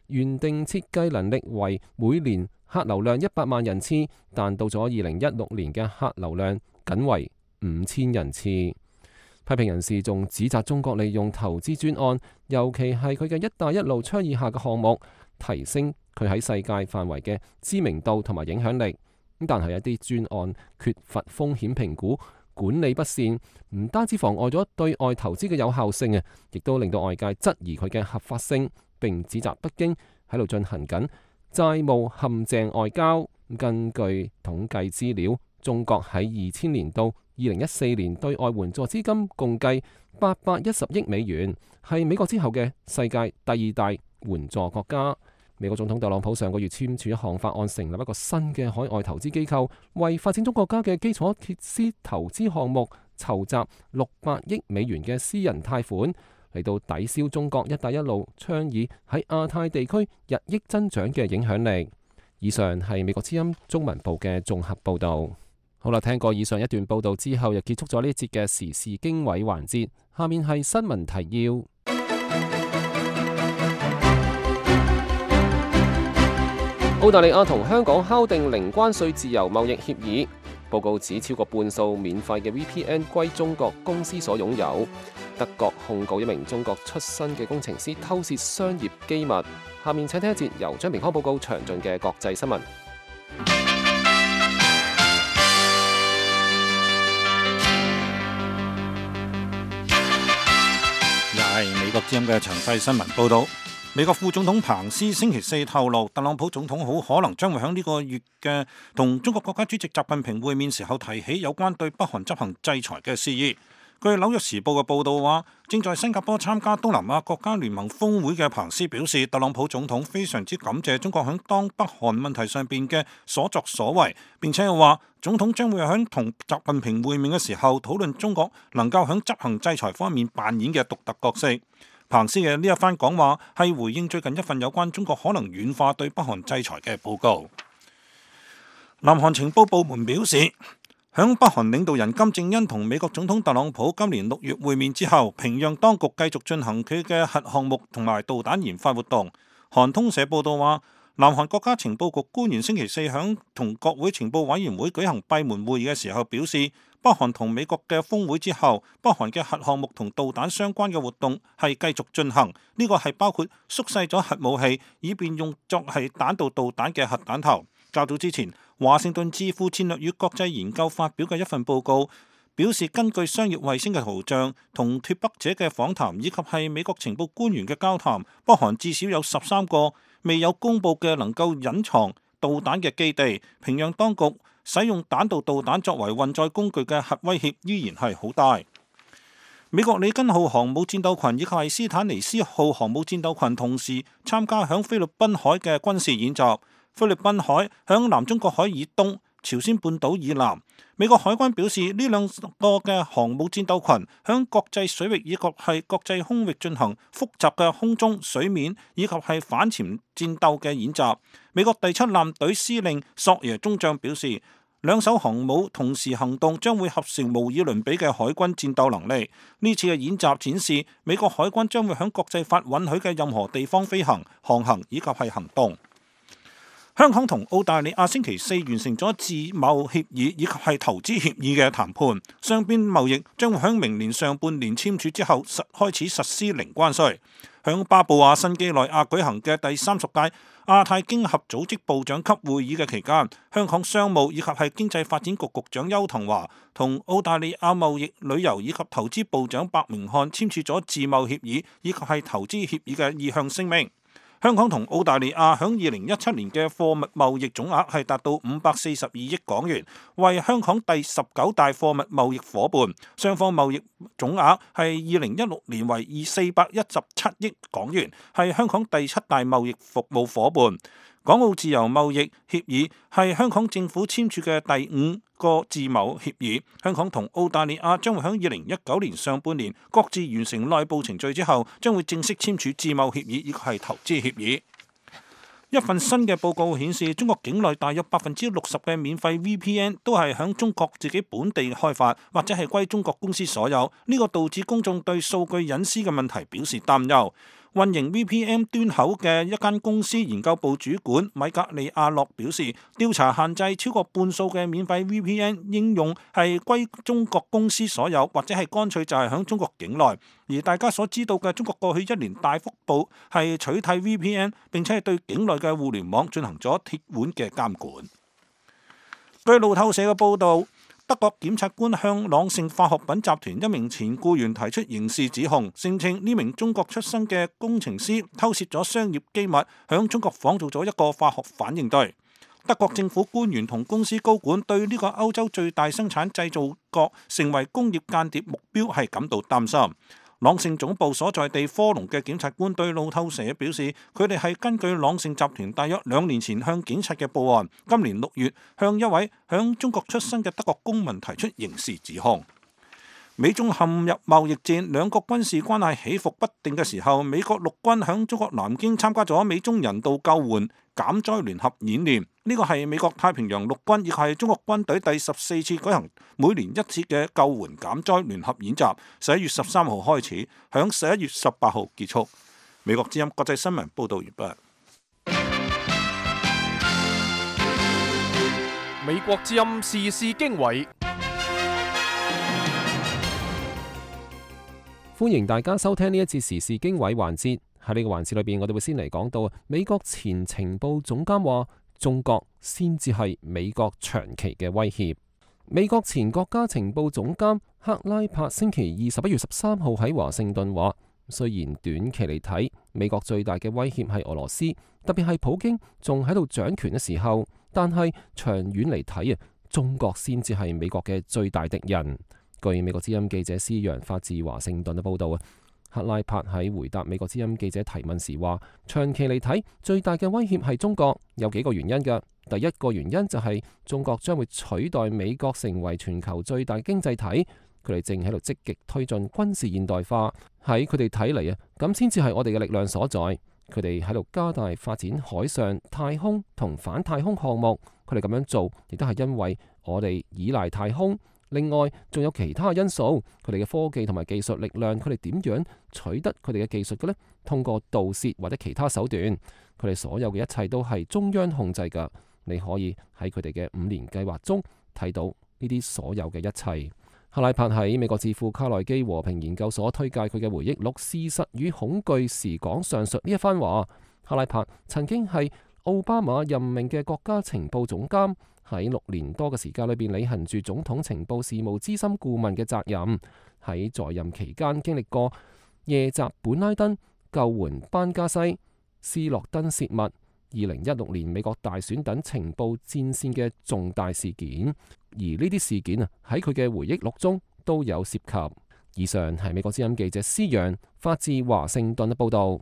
原定設計能力為每年客流量一百萬人次，但到咗二零一六年嘅客流量僅為五千人次。批評人士仲指責中國利用投資專案，尤其係佢嘅一帶一路倡議下嘅項目，提升佢喺世界範圍嘅知名度同埋影響力。但係一啲專案缺乏風險評估，管理不善，唔單止妨礙咗對外投資嘅有效性啊，亦都令到外界質疑佢嘅合法性，並指責北京喺度進行緊債務陷阱外交。根據統計資料，中國喺二千年到二零一四年對外援助資金共計八百一十億美元，係美國之後嘅世界第二大援助國家。美國總統特朗普上個月簽署一項法案，成立一個新嘅海外投資機構，為發展中國家嘅基礎設施投資項目籌集六百億美元嘅私人貸款，嚟到抵消中國一帶一路倡議喺亞太地區日益增長嘅影響力。以上係美國之音中文部嘅綜合報導。好啦，聽過以上一段報導之後，又結束咗呢一節嘅時事經緯環節。下面係新聞提要。澳大利亞同香港敲定零關稅自由貿易協議。報告指超過半數免費嘅 V P N 歸中國公司所擁有。德國控告一名中國出身嘅工程師偷竊商業機密。下面請聽一節由張明康報告詳盡嘅國際新聞。又係美國之音嘅詳細新聞報導。美國副總統彭斯星期四透露，特朗普總統好可能將會喺呢個月嘅同中國國家主席習近平會面時候提起有關對北韓執行制裁嘅事宜。據紐約時報嘅報導話，正在新加坡參加東南亞國家聯盟峰會嘅彭斯表示，特朗普總統非常之感謝中國喺當北韓問題上邊嘅所作所為，並且又話總統將會喺同習近平會面嘅時候討論中國能夠喺執行制裁方面扮演嘅獨特角色。彭斯嘅呢一番講話係回應最近一份有關中國可能軟化對北韓制裁嘅報告。南韓情報部門表示，響北韓領導人金正恩同美國總統特朗普今年六月會面之後，平壤當局繼續進行佢嘅核項目同埋導彈研發活動。韓通社報道話，南韓國家情報局官員星期四響同國會情報委員會舉行閉門會議嘅時候表示，北韓同美國嘅峰會之後，北韓嘅核項目同導彈相關嘅活動係繼續進行。呢個係包括縮細咗核武器，以便用作係彈道導彈嘅核彈頭。較早之前，華盛頓智庫戰略與國際研究發表嘅一份報告表示，根據商業衛星嘅圖像、同脫北者嘅訪談以及係美國情報官員嘅交談，北韓至少有十三個未有公佈嘅能夠隱藏導彈嘅基地。平壤當局使用彈道導彈作為運載工具嘅核威脅依然係好大。美國里根號航母戰鬥群以及係斯坦尼斯號航母戰鬥群同時參加響菲律賓海嘅軍事演習。菲律賓海響南中國海以東、朝鮮半島以南。美國海軍表示，呢兩個嘅航母戰鬥群響國際水域以及係國際空域進行複雜嘅空中、水面以及係反潛戰鬥嘅演習。美國第七艦隊司令索耶中將表示，兩艘航母同時行動將會合成無以倫比嘅海軍戰鬥能力。呢次嘅演習展示，美國海軍將會響國際法允許嘅任何地方飛行、航行以及係行動。香港同澳大利亞星期四完成咗自貿協議以及係投資協議嘅談判，雙邊貿易將會喺明年上半年簽署之後實開始實施零關稅。響巴布亞新幾內亞舉行嘅第三十屆亞太經合組織部長級會議嘅期間，香港商務以及係經濟發展局局長邱騰華同澳大利亞貿易、旅遊以及投資部長白明漢簽署咗自貿協議以及係投資協議嘅意向聲明。香港同澳大利亞響二零一七年嘅貨物貿易總額係達到五百四十二億港元，為香港第十九大貨物貿易夥伴。雙方貿易總額係二零一六年為二四百一十七億港元，係香港第七大貿易服務夥伴。港澳自由貿易協議係香港政府簽署嘅第五個自貿協議。香港同澳大利亞將會喺二零一九年上半年各自完成內部程序之後，將會正式簽署自貿協議以及係投資協議。一份新嘅報告顯示，中國境內大約百分之六十嘅免費 V P N 都係響中國自己本地開發，或者係歸中國公司所有。呢個導致公眾對數據隱私嘅問題表示擔憂。運營 V P N 端口嘅一間公司研究部主管米格利亞洛表示，調查限制超過半數嘅免費 V P N 應用係歸中國公司所有，或者係乾脆就係響中國境內。而大家所知道嘅中國過去一年大幅度係取締 V P N， 並且係對境內嘅互聯網進行咗鐵腕嘅監管。據路透社嘅報導，德國檢察官向朗盛化學品集團一名前僱員提出刑事指控，聲稱呢名中國出身嘅工程師偷竊咗商業機密，響中國仿造咗一個化學反應堆。德國政府官員同公司高管對呢個歐洲最大生產製造國成為工業間諜目標係感到擔心。朗盛總部所在地科隆嘅檢察官對路透社表示，佢哋係根據朗盛集團大約兩年前向警察嘅報案，今年六月向一位響中國出生嘅德國公民提出刑事指控。美中陷入貿易戰，兩國軍事關係起伏不定嘅時候，美國陸軍響中國南京參加咗美中人道救援減災聯合演練。呢個係美國太平洋陸軍亦係中國軍隊第十四次舉行每年一次嘅救援減災聯合演習，十一月十三號開始，響十一月十八號結束。美國之音國際新聞報道完畢。美國之音時事經緯。歡迎大家收聽呢一節時事經緯環節。喺呢個環節裏邊，我哋會先嚟講到美國前情報總監話，中國先至係美國長期嘅威脅。美國前國家情報總監克拉柏星期二十一月十三號喺華盛頓話，雖然短期嚟睇，美國最大嘅威脅係俄羅斯，特別係普京仲喺度掌權嘅時候，但係長遠嚟睇啊，中國先至係美國嘅最大敵人。據美國之音記者施陽發自華盛頓嘅報道啊，克拉柏喺回答美國之音記者提問時話，長期嚟睇，最大嘅威脅係中國，有幾個原因㗎。第一個原因就係中國將會取代美國成為全球最大經濟體，佢哋正喺度積極推進軍事現代化。喺佢哋睇嚟啊，咁先至係我哋嘅力量所在。佢哋喺度加大發展海上、太空同反太空項目，佢哋咁樣做亦都係因為我哋依賴太空。另外，仲有其他因素，佢哋嘅科技同埋技術力量，佢哋點樣取得佢哋嘅技術嘅呢？通過盜竊或者其他手段，佢哋所有嘅一切都係中央控制㗎。你可以喺佢哋嘅五年計劃中睇到呢啲所有嘅一切。克拉柏喺美國智庫卡內基和平研究所推介佢嘅回憶錄《事實與恐懼》時講上述呢一番話。克拉柏曾經係奧巴馬任命嘅國家情報總監，喺六年多嘅時間裏邊履行住總統情報事務資深顧問嘅責任。喺在，在任期間經歷過夜襲本拉登、救援班加西、斯諾登泄密、二零一六年美國大選等情報戰線嘅重大事件。而呢啲事件啊，喺佢嘅回憶錄中都有涉及。以上係美國之音記者施陽發自華盛頓嘅報道。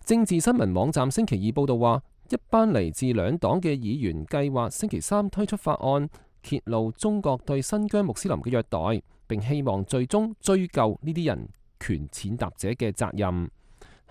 政治新聞網站星期二報道話，一班嚟自兩黨嘅議員計劃星期三推出法案，揭露中國對新疆穆斯林嘅虐待，並希望最終追究呢啲人權踐踏者嘅責任。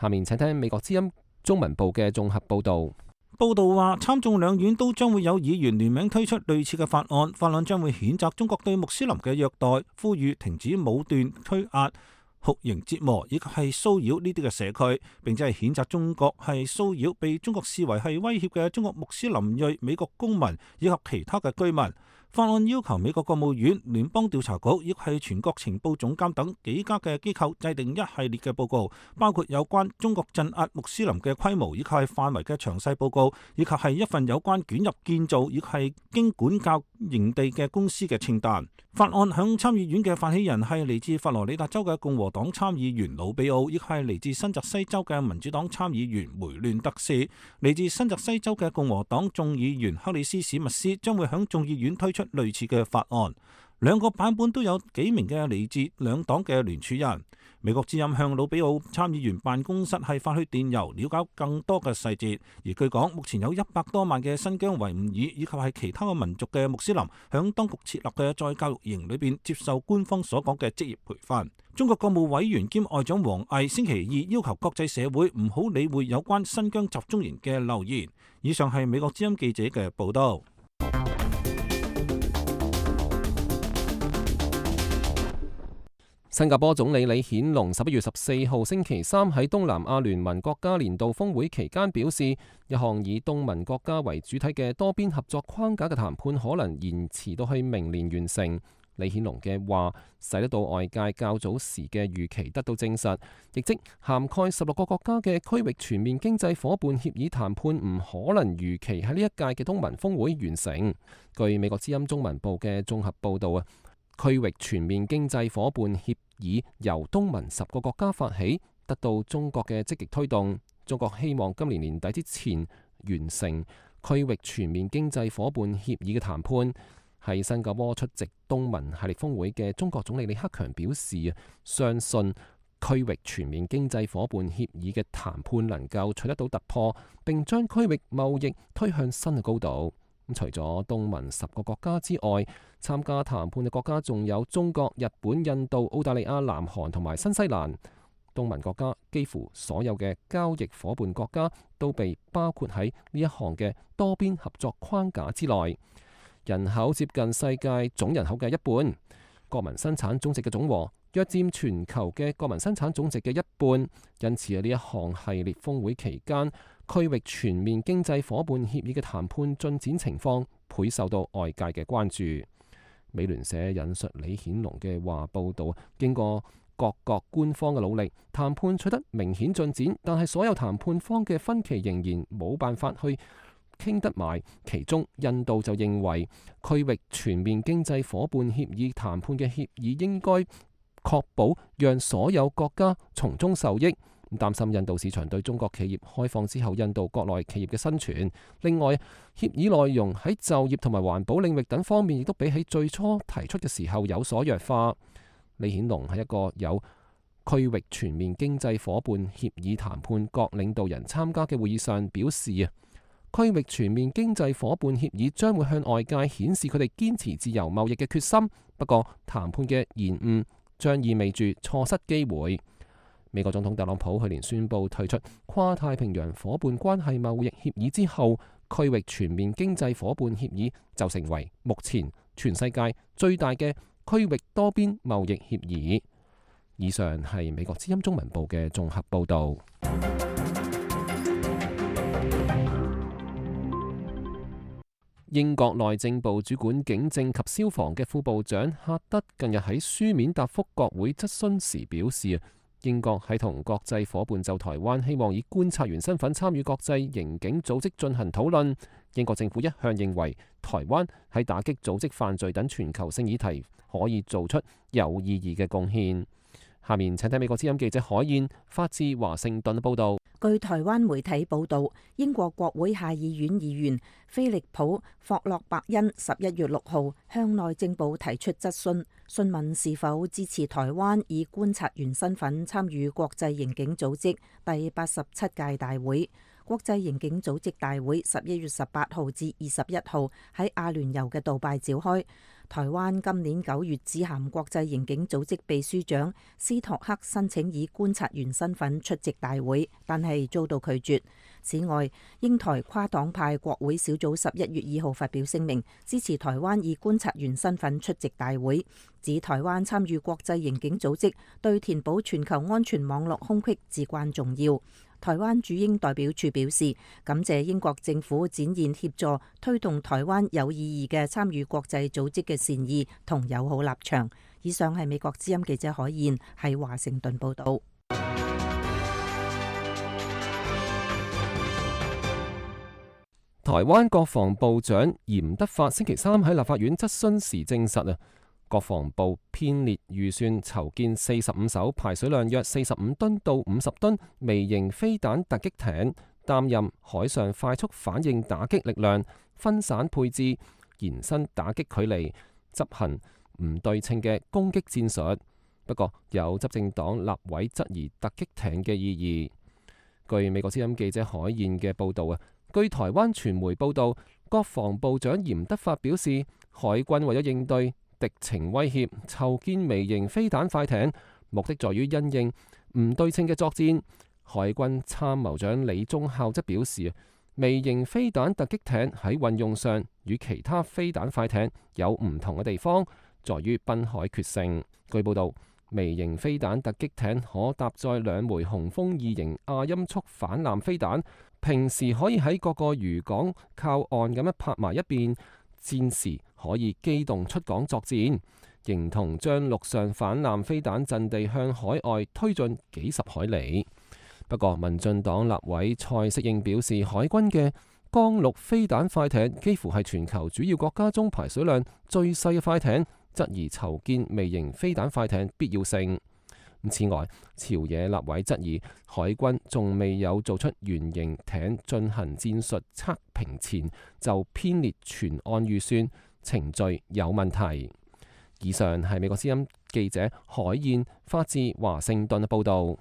下面請聽美國之音中文部嘅綜合報道。報道話，參眾兩院都將會有議員聯名推出類似嘅法案，法案將會譴責中國對穆斯林嘅虐待，呼籲停止武斷推壓、酷刑折磨以及係騷擾呢啲嘅社區，並且係譴責中國係騷擾被中國視為係威脅嘅中國穆斯林裔美國公民以及其他嘅居民。法案要求美國國務院、聯邦調查局亦係全國情報總監等幾家嘅機構制定一系列嘅報告，包括有關中國鎮壓穆斯林嘅規模以及係範圍嘅詳細報告，以及係一份有關捲入建造以及係經管教營地嘅公司嘅清單。法案響參議院嘅發起人係嚟自佛羅里達州嘅共和黨參議員魯比奧，亦係嚟自新澤西州嘅民主黨參議員梅亂德斯。嚟自新澤西州嘅共和黨眾議員克里斯史密斯將會響眾議院推出類似嘅法案。兩個版本都有幾名嘅嚟自兩黨嘅聯署人。美國之音向魯比奧參議員辦公室係發去電郵，了解更多嘅細節。而據講，目前有一百多萬嘅新疆維吾爾以及係其他嘅民族嘅穆斯林，響當局設立嘅再教育營裏邊接受官方所講嘅職業培訓。中國國務委員兼外長王毅星期二要求國際社會唔好理會有關新疆集中營嘅流言。以上係美國之音記者嘅報道。新加坡總理李顯龍十一月十四號星期三喺東南亞聯盟國家年度峰會期間表示，一項以東盟國家為主體嘅多邊合作框架嘅談判可能延遲到去明年完成。李顯龍嘅話使得到外界較早時嘅預期得到證實，亦即涵蓋十六個國家嘅區域全面經濟夥伴協議談判唔可能如期喺呢一屆嘅東盟峰會完成。據美國之音中文部嘅綜合報導啊，區域全面經濟夥伴協議由東盟十個國家發起，得到中國嘅積極推動。中國希望今年年底之前完成區域全面經濟夥伴協議嘅談判。喺新加坡出席東盟系列峰會嘅中國總理李克強表示，相信區域全面經濟夥伴協議嘅談判能夠取得到突破，並將區域貿易推向新嘅高度。除咗東盟十個國家之外，參加談判嘅國家仲有中國、日本、印度、澳大利亞、南韓同埋新西蘭。東盟國家幾乎所有嘅交易夥伴國家都被包括喺呢一項嘅多邊合作框架之內。人口接近世界總人口嘅一半，國民生產總值嘅總和約佔全球嘅國民生產總值嘅一半。因此喺呢一項系列峰會期間，區域全面經濟夥伴協議嘅談判進展情況倍受到外界嘅關注。美聯社引述李顯龍嘅話報道，經過各國官方嘅努力，談判取得明顯進展，但係所有談判方嘅分歧仍然冇辦法去傾得埋。其中印度就認為區域全面經濟夥伴協議談判嘅協議應該確保讓所有國家從中受益，擔心印度市場對中國企業開放之後印度國內企業嘅生存。另外，協議內容喺就業同埋環保領域等方面亦都比起最初提出嘅時候有所弱化。李顯龍喺一個有區域全面經濟夥伴協議談判各領導人參加嘅會議上表示啊，區域全面經濟夥伴協議將會向外界顯示佢哋堅持自由貿易嘅決心。不過，談判嘅延誤將意味住錯失機會。美國總統特朗普去年宣布退出跨太平洋夥伴關係貿易協議之後，區域全面經濟夥伴協議就成為目前全世界最大嘅區域多邊貿易協議。以上係美國之音中文部嘅綜合報導。英國內政部主管警政及消防嘅副部長赫德近日喺書面答覆國會質詢時表示，英國喺同國際夥伴就台灣希望以觀察員身份參與國際刑警組織進行討論。英國政府一向認為台灣喺打擊組織犯罪等全球性議題可以做出有意義嘅貢獻。下面請睇美國之音記者海燕發自華盛頓報導。據台灣媒體報導，英國國會下議院議員菲利普·霍洛伯恩十一月六號向內政部提出質詢，詢問是否支持台灣以觀察員身份參與國際刑警組織第八十七屆大會。國際刑警組織大會十一月十八號至二十一號喺阿聯酋嘅杜拜召開。台灣今年九月致函國際刑警組織秘書長斯托克申請以觀察員身份出席大會，但係遭到拒絕。此外，英台跨黨派國會小組十一月二號發表聲明，支持台灣以觀察員身份出席大會，指台灣參與國際刑警組織對填補全球安全網絡空隙至關重要。台灣駐英代表處表示，感謝英國政府展現協助推動台灣有意義嘅參與國際組織嘅善意同友好立場。以上係美國之音記者海燕喺華盛頓報導。台灣國防部長嚴德發星期三喺立法院質詢時證實啊，國防部編列預算籌建四十五艘排水量約四十五噸到五十噸微型飛彈突擊艇，擔任海上快速反應打擊力量，分散配置、延伸打擊距離，執行唔對稱嘅攻擊戰術。不過有執政黨立委質疑突擊艇嘅意義。據美國之音記者海燕嘅報導啊，據台灣傳媒報導，國防部長嚴德發表示，海軍為咗應對敵情威脅，籌建微型飛彈快艇，目的在於因應唔對稱嘅作戰。海軍參謀長李宗孝則表示，微型飛彈突擊艇喺運用上與其他飛彈快艇有唔同嘅地方，在於濱海決勝。據報導，微型飛彈突擊艇可搭載兩枚雄風二型亞音速反艦飛彈，平時可以喺各個漁港靠岸咁樣泊埋一邊，戰時可以機動出港作戰，形同將陸上反艦飛彈陣地向海外推進幾十海里。不過，民進黨立委蔡適應表示，海軍嘅江陸飛彈快艇幾乎係全球主要國家中排水量最細嘅快艇，質疑籌建微型飛彈快艇必要性。此外，朝野立委質疑海軍仲未有做出原型艇進行戰術測評前就編列全案預算，程序有問題。以上係美國之音記者海燕發自華盛頓嘅報導。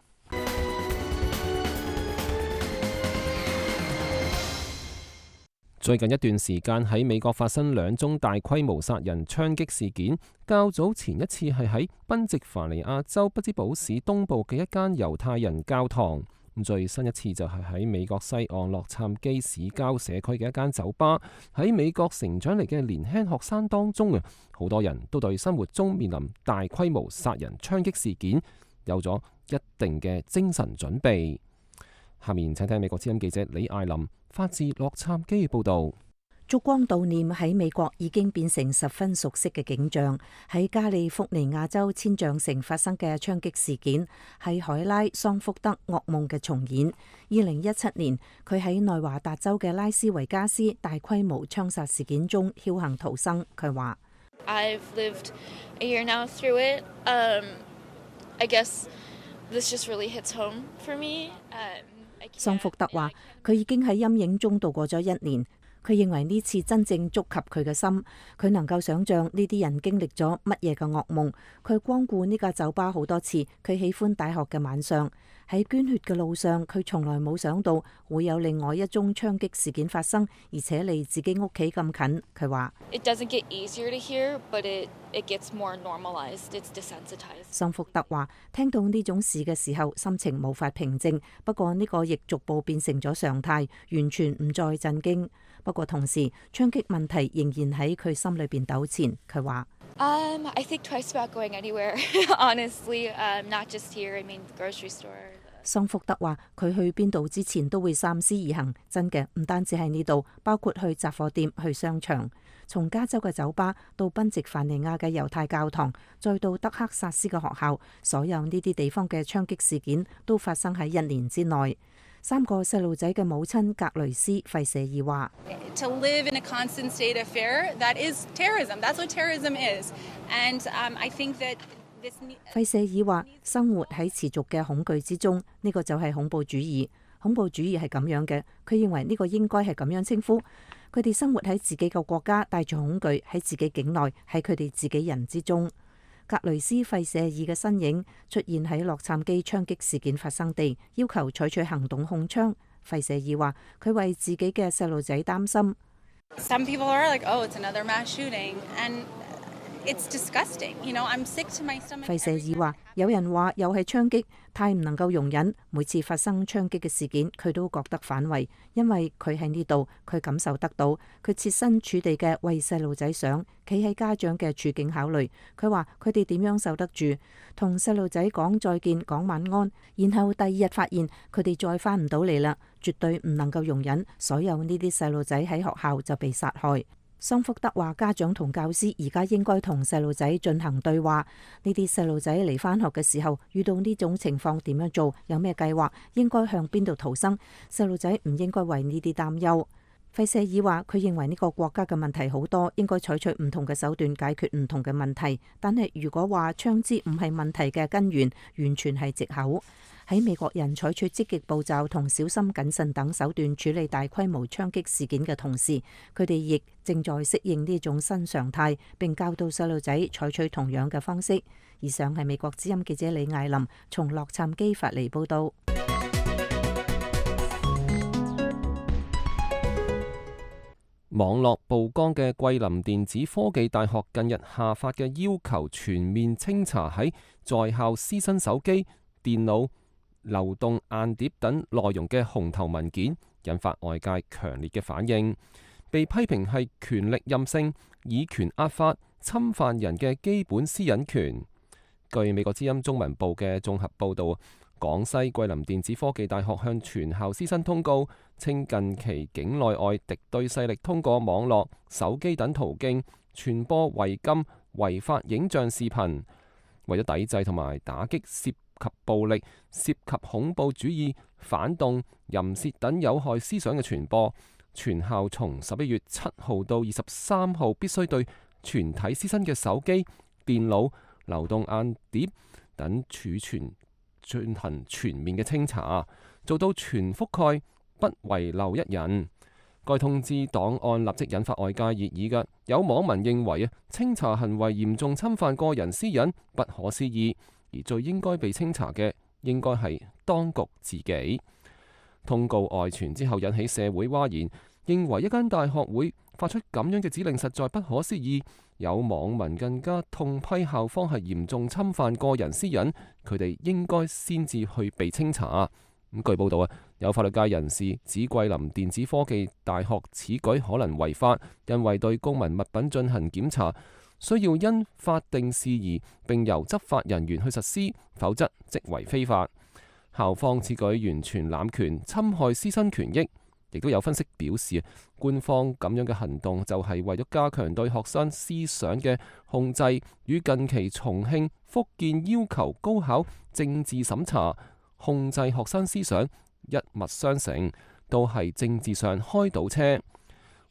最近一段時間喺美國發生兩宗大規模殺人槍擊事件，較早前一次係喺賓夕凡尼亞州匹茲堡市東部嘅一間猶太人教堂，最新一次就係喺美國西岸洛杉磯市郊社區嘅一間酒吧。喺美國成長嚟嘅年輕學生當中啊，好多人都對生活中面臨大規模殺人槍擊事件有咗一定嘅精神準備。下面請聽美國之音記者李艾琳發自洛杉磯嘅報道。燭光悼念喺美國已經變成十分熟悉嘅景象。喺加利福尼亞州千象城發生嘅槍擊事件係海拉桑福德噩夢嘅重演。二零一七年，佢喺內華達州嘅拉斯維加斯大規模槍殺事件中僥倖逃生。佢話：I've lived a year now through it. Um, I guess this just really hits home for me. Um, 桑福德話：佢已經喺陰影中度過咗一年。佢認為呢次真正觸及佢嘅心，佢能夠想像呢啲人經歷咗乜嘢嘅噩夢。佢光顧呢間酒吧好多次，佢喜歡大學嘅晚上。喺捐血嘅路上，佢從來冇想到會有另外一宗槍擊事件發生，而且離自己屋企咁近。佢話：桑福德話：聽到呢種事嘅時候，心情無法平靜。不過呢個亦逐步變成咗常態，完全唔再震驚。不過同時，槍擊問題仍然喺佢心裏邊糾纏。佢話：Um, I think twice about going anywhere. Honestly, um, not just here. I mean, grocery store. 桑福德話：佢去邊度之前都會三思而行。真嘅，唔單止係呢度，包括去雜貨店、去商場。從加州嘅酒吧到賓夕凡尼亞嘅猶太教堂，再到德克薩斯嘅學校，所有呢啲地方嘅槍擊事件都發生喺一年之內。三個細路仔嘅母親格雷斯費舍爾話：To live in a constant state of fear, that is terrorism. That's what terrorism is. And um, I think that this. 費舍爾話：生活喺持續嘅恐懼之中，呢個就係恐怖主義。恐怖主義係咁樣嘅，佢認為呢個應該係咁樣稱呼。佢哋生活喺自己嘅國家，帶住恐懼喺自己境內，喺佢哋自己人之中。格雷斯費舍爾嘅身影出現喺洛杉磯槍擊事件發生地，要求採取行動控槍。費舍爾話：佢為自己嘅細路仔擔心。Some people are like, oh, it's another mass shooting, and it's disgusting. You know, I'm sick to my stomach. 費舍爾話：有人話又係槍擊，太唔能夠容忍。每次發生槍擊嘅事件，佢都覺得反胃，因為佢喺呢度，佢感受得到，佢設身處地嘅為細路仔想，企喺家長嘅處境考慮。佢話佢哋點樣受得住，同細路仔講再見，講晚安，然後第二日發現佢哋再翻唔到嚟啦，絕對唔能夠容忍所有呢啲細路仔喺學校就被殺害。桑福德話：家長同教師而家應該同細路仔進行對話。呢啲細路仔嚟返學嘅時候，遇到呢種情況點樣做？有咩計劃？應該向邊度逃生？細路仔唔應該為呢啲擔憂。費舍爾話：佢認為呢個國家嘅問題好多，應該採取唔同嘅手段解決唔同嘅問題。但係如果話槍支唔係問題嘅根源，完全係藉口。喺美國人採取積極步驟同小心謹慎等手段處理大規模槍擊事件嘅同時，佢哋亦正在適應呢種新常態，並教導細路仔採取同樣嘅方式。以上係美國之音記者李艾琳從洛杉磯發嚟報道。網絡曝光嘅桂林電子科技大學近日下發嘅要求全面清查喺在校師生手機、電腦、流動硬碟等內容嘅紅頭文件，引發外界強烈嘅反應，被批評係權力任性、以權壓法、侵犯人嘅基本私隱權。據美國之音中文部嘅綜合報導，廣西桂林電子科技大學向全校師生通告，稱近期境內外敵對勢力通過網絡、手機等途徑傳播違禁、違法影像視頻，為咗抵制同埋打擊涉及暴力、涉及恐怖主義、反動、淫褻等有害思想嘅傳播，全校從十一月七號到二十三號必須對全體師生嘅手機、電腦、流動硬碟等儲存進行全面嘅清查，做到全覆蓋，不遺漏一人。該通知檔案立即引發外界熱議嘅，有網民認為啊，清查行為嚴重侵犯個人私隱，不可思議。而最應該被清查嘅，應該係當局自己。通告外傳之後引起社會譁然，認為一間大學會發出咁樣嘅指令實在不可思議。有網民更加痛批校方係嚴重侵犯個人私隱，佢哋應該先至去被清查。咁據報道啊，有法律界人士指桂林電子科技大學此舉可能違法，因為對公民物品進行檢查需要因法定事宜並由執法人員去實施，否則即為非法。校方此舉完全濫權，侵害師生權益。亦都有分析表示，官方咁樣嘅行動就係為咗加強對學生思想嘅控制，與近期重慶、福建要求高考政治審查控制學生思想一脈相承，都係政治上開倒車。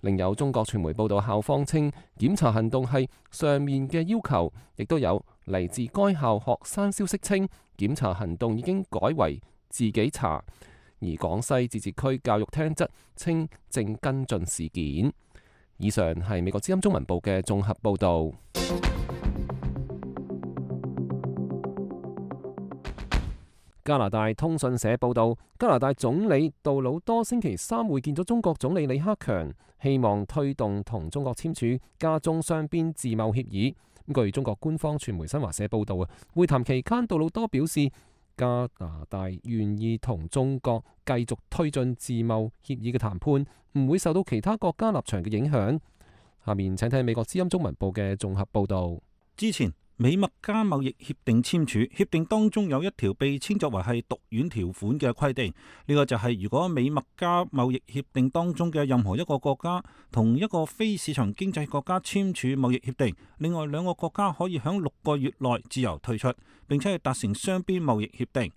另有中國傳媒報道，校方稱檢查行動係上面嘅要求，亦都有嚟自該校學生消息稱檢查行動已經改為自己查。而廣西自治區教育廳則稱正跟進事件。以上係美國之音中文部嘅綜合報導。加拿大通訊社報導，加拿大總理杜魯多星期三會見咗中國總理李克強，希望推動同中國簽署加中雙邊自貿協議。據中國官方傳媒新華社報導啊，會談期間杜魯多表示，加拿大願意同中國繼續推進自貿協議嘅談判，唔會受到其他國家立場嘅影響。下面請睇美國之音中文部嘅綜合報導。之前美墨加貿易協定簽署，協定當中有一條被稱作為係毒丸條款嘅規定，呢個就係如果美墨加貿易協定當中嘅任何一個國家同一個非市場經濟國家簽署貿易協定，另外兩個國家可以喺六個月內自由退出，並且係達成雙邊貿易協定。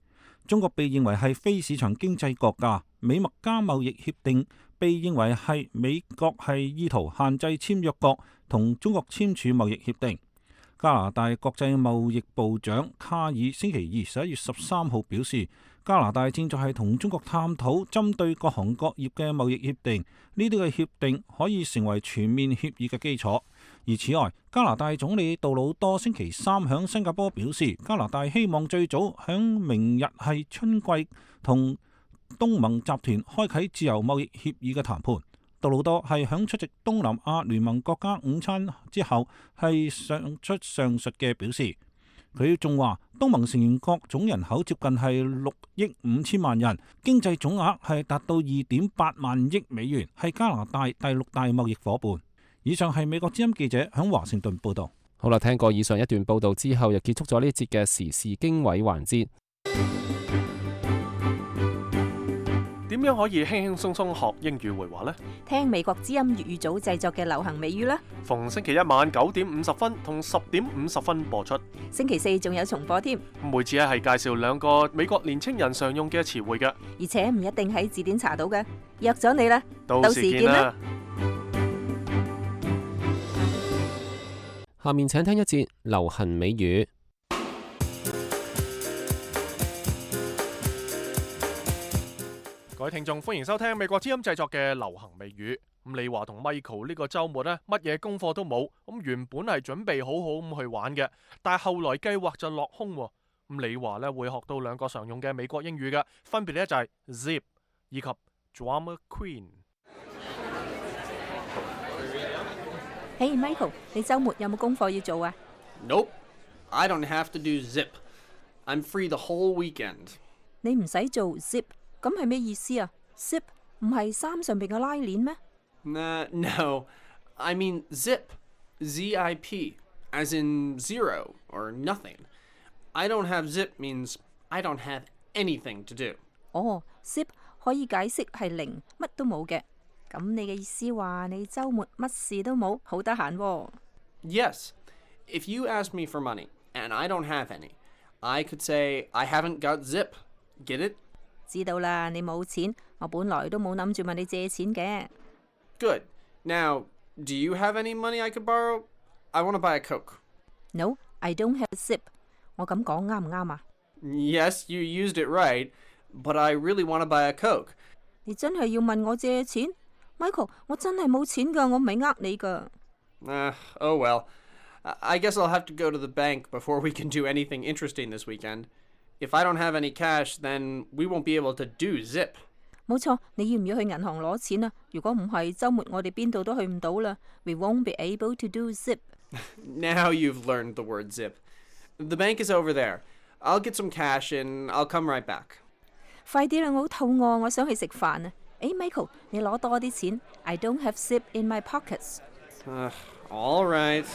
中國被認為係非市場經濟國家，美墨加貿易協定被認為係美國係意圖限制簽約國同中國簽署貿易協定。加拿大國際貿易部長卡爾星期二十一月十三號表示，加拿大正在係同中國探討針對各行各業嘅貿易協定，呢啲嘅協定可以成為全面協議嘅基礎。而此外，加拿大總理杜魯多星期三響新加坡表示，加拿大希望最早響明日係春季同東盟集團開啟自由貿易協議嘅談判。杜魯多係響出席東南亞聯盟國家午餐之後係上出上述嘅表示。佢仲話，東盟成員國總人口接近係六億五千萬人，經濟總額係達到二點八萬億美元，係加拿大第六大貿易夥伴。以上係美國之音記者響華盛頓報道。好啦，聽過以上一段報道之後，又結束咗呢一節嘅時事經緯環節。點樣可以輕輕鬆鬆學英語會話呢？聽美國之音粵語組製作嘅流行美語啦。逢星期一晚九點五十分同十點五十分播出。星期四仲有重播添。每次咧係介紹兩個美國年青人常用嘅詞彙嘅，而且唔一定喺字典查到嘅。約咗你啦，到時見啦。下面請聽一節流行美語。各位聽眾，歡迎收聽美國之音製作嘅流行美語。咁你話同 Michael 呢個週末呢，乜嘢功課都冇，咁原本係準備好好咁去玩嘅，但係後來計劃就落空。咁你話呢會學到兩個常用嘅美國英語嘅，分別呢就係 zip 以及 drama queen。嘿、hey, Michael， 你週末有冇功課要做啊 ？Nope, I don't have to do zip. I'm free the whole weekend. 你唔使做 zip。咁係咩意思啊 ？zip 唔係衫上邊嘅拉鏈咩？ Uh, no, I mean zip, Z I P, as in zero or nothing. I don't have zip means I don't have anything to do. 哦 zip 可以解釋係零，乜都冇嘅。咁你嘅意思話你週末乜事都冇，好得閒喎。Yes, if you ask me for money and I don't have any, I could say I haven't got zip. Get it?知道啦，你冇錢，我本來都冇諗住問你借錢嘅。Good. Now, do you have any money I could borrow? I want to buy a Coke. No, I don't have a zip. 我咁講啱唔啱啊 ？Yes, you used it right, but I really want to buy a Coke. 你真係要問我借錢 ，Michael？ 我真係冇錢㗎，我唔係呃你㗎。Uh, oh well. I guess I'll have to go to the bank before we can do anything interesting this weekend.If I don't have any cash, then we won't be able to do zip. 冇錯，你要唔要去銀行攞錢啊？如果唔係，週末我哋邊度都去唔到啦。We won't be able to do zip. Now you've learned the word zip. The bank is over there. I'll get some cash and I'll come right back. 快啲啦，我好肚餓，我想去食飯啊！誒，Michael，你攞多啲錢。I don't have zip in my pockets. Uh, all right.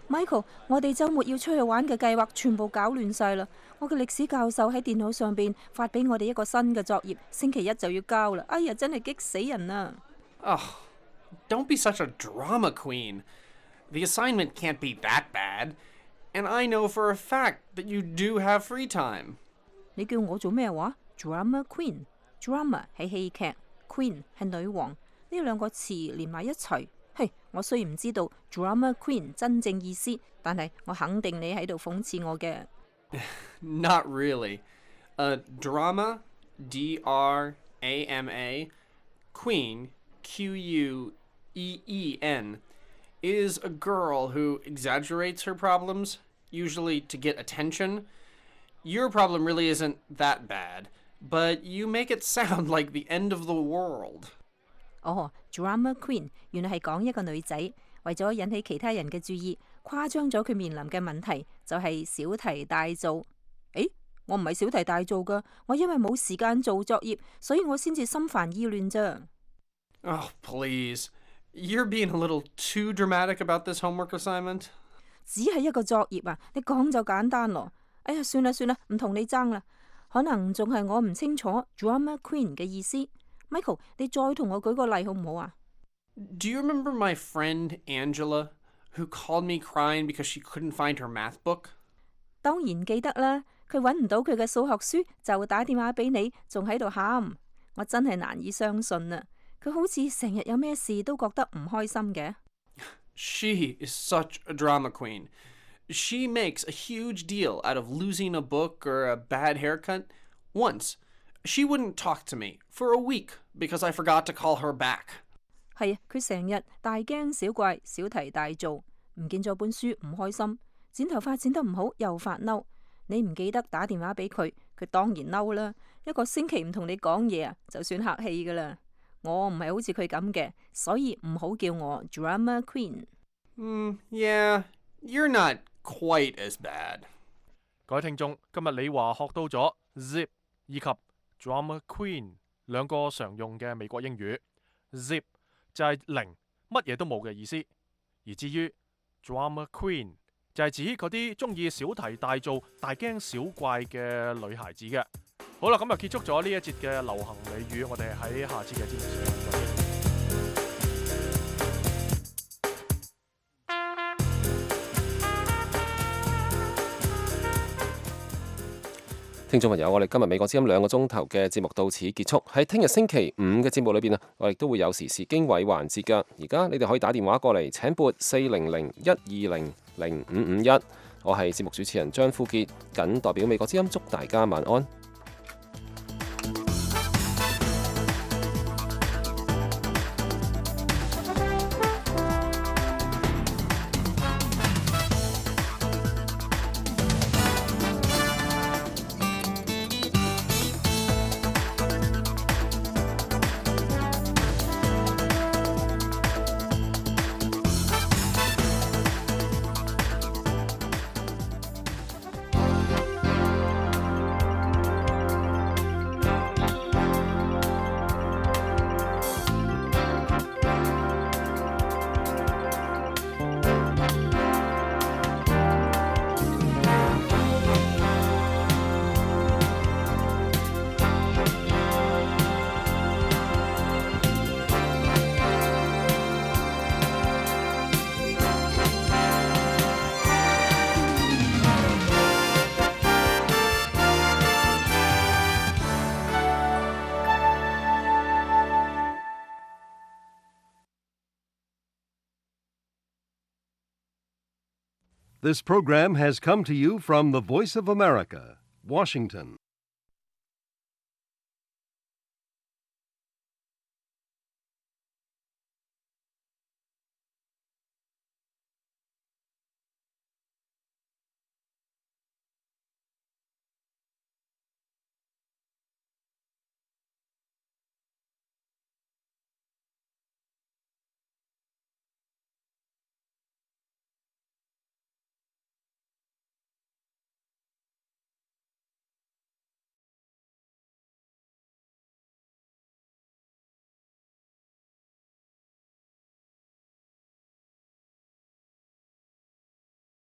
Michael，我哋週末要出去玩嘅計劃全部搞亂晒啦！我嘅歷史教授喺電腦上邊發俾我哋一個新嘅作業，星期一就要交啦！哎呀，真係激死人啊！Oh, don't be such a drama queen. The assignment can't be that bad. And I know for a fact that you do have free time. 你叫我做咩話 ？Drama queen，drama 係戲劇 ，queen 係女王，呢兩個詞連埋一齊。嘿，我雖然唔知道 drama queen 真正意思，但係我肯定你喺度諷刺我嘅。Not really. Uh, drama, D R A M A, queen, Q U E E N, is a girl who exaggerates her problems, usually to get attention. Your problem really isn't that bad, but you make it sound like the end of the world. 哦 ，drama queen 原來係講一個女仔為咗引起其他人嘅注意，誇張咗佢面臨嘅問題，就係小題大做。誒，我唔係小題大做噶，我因為冇時間做作業，所以我先至心煩意亂咋。Oh, please. You're being a little too dramatic about this homework assignment. 只係一個作業啊，你講就簡單咯。哎呀，算啦算啦，唔同你爭啦。可能仲係我唔清楚 drama queen 嘅意思。Michael， 你再同我舉個例好唔好啊 ？Do you remember my friend Angela, who called me crying because she couldn't find her math book? 當然記得啦，佢揾唔到佢嘅數學書，就打電話俾你，仲喺度喊。我真係難以相信啊！佢好似成日有咩事都覺得唔開心嘅。She is such a drama queen. She makes a huge deal out of losing a book or a bad haircut. Once, she wouldn't talk to me for a week because I forgot to call her back. 係啊，佢成日大驚小怪，小題大做，唔見咗本書唔開心，剪頭髮剪得唔好又發嬲。你唔記得打電話俾佢，佢當然嬲啦。一個星期唔同你講嘢啊，就算客氣噶啦。我唔係好似佢咁嘅，所以唔好叫我 drama queen。嗯 ，Yeah, you're not quite as bad。各位聽眾，今日李華學到咗 zip 以及 drama queen 兩個常用嘅美國英語。zip 就係零，乜嘢都冇嘅意思，而至於 drama queen 就係指嗰啲中意小題大做、大驚小怪嘅女孩子嘅。好啦，咁就結束咗呢一節嘅流行美語，我哋喺下次嘅節目時間再見。聽眾朋友，我哋今日美國之音兩個鐘頭嘅節目到此結束。喺聽日星期五嘅節目裏邊啊，我哋都會有時事經緯環節㗎。而家你哋可以打電話過嚟請撥四零零一二零零五五一。我係節目主持人張富傑，謹代表美國之音祝大家晚安。This program has come to you from the Voice of America, Washington.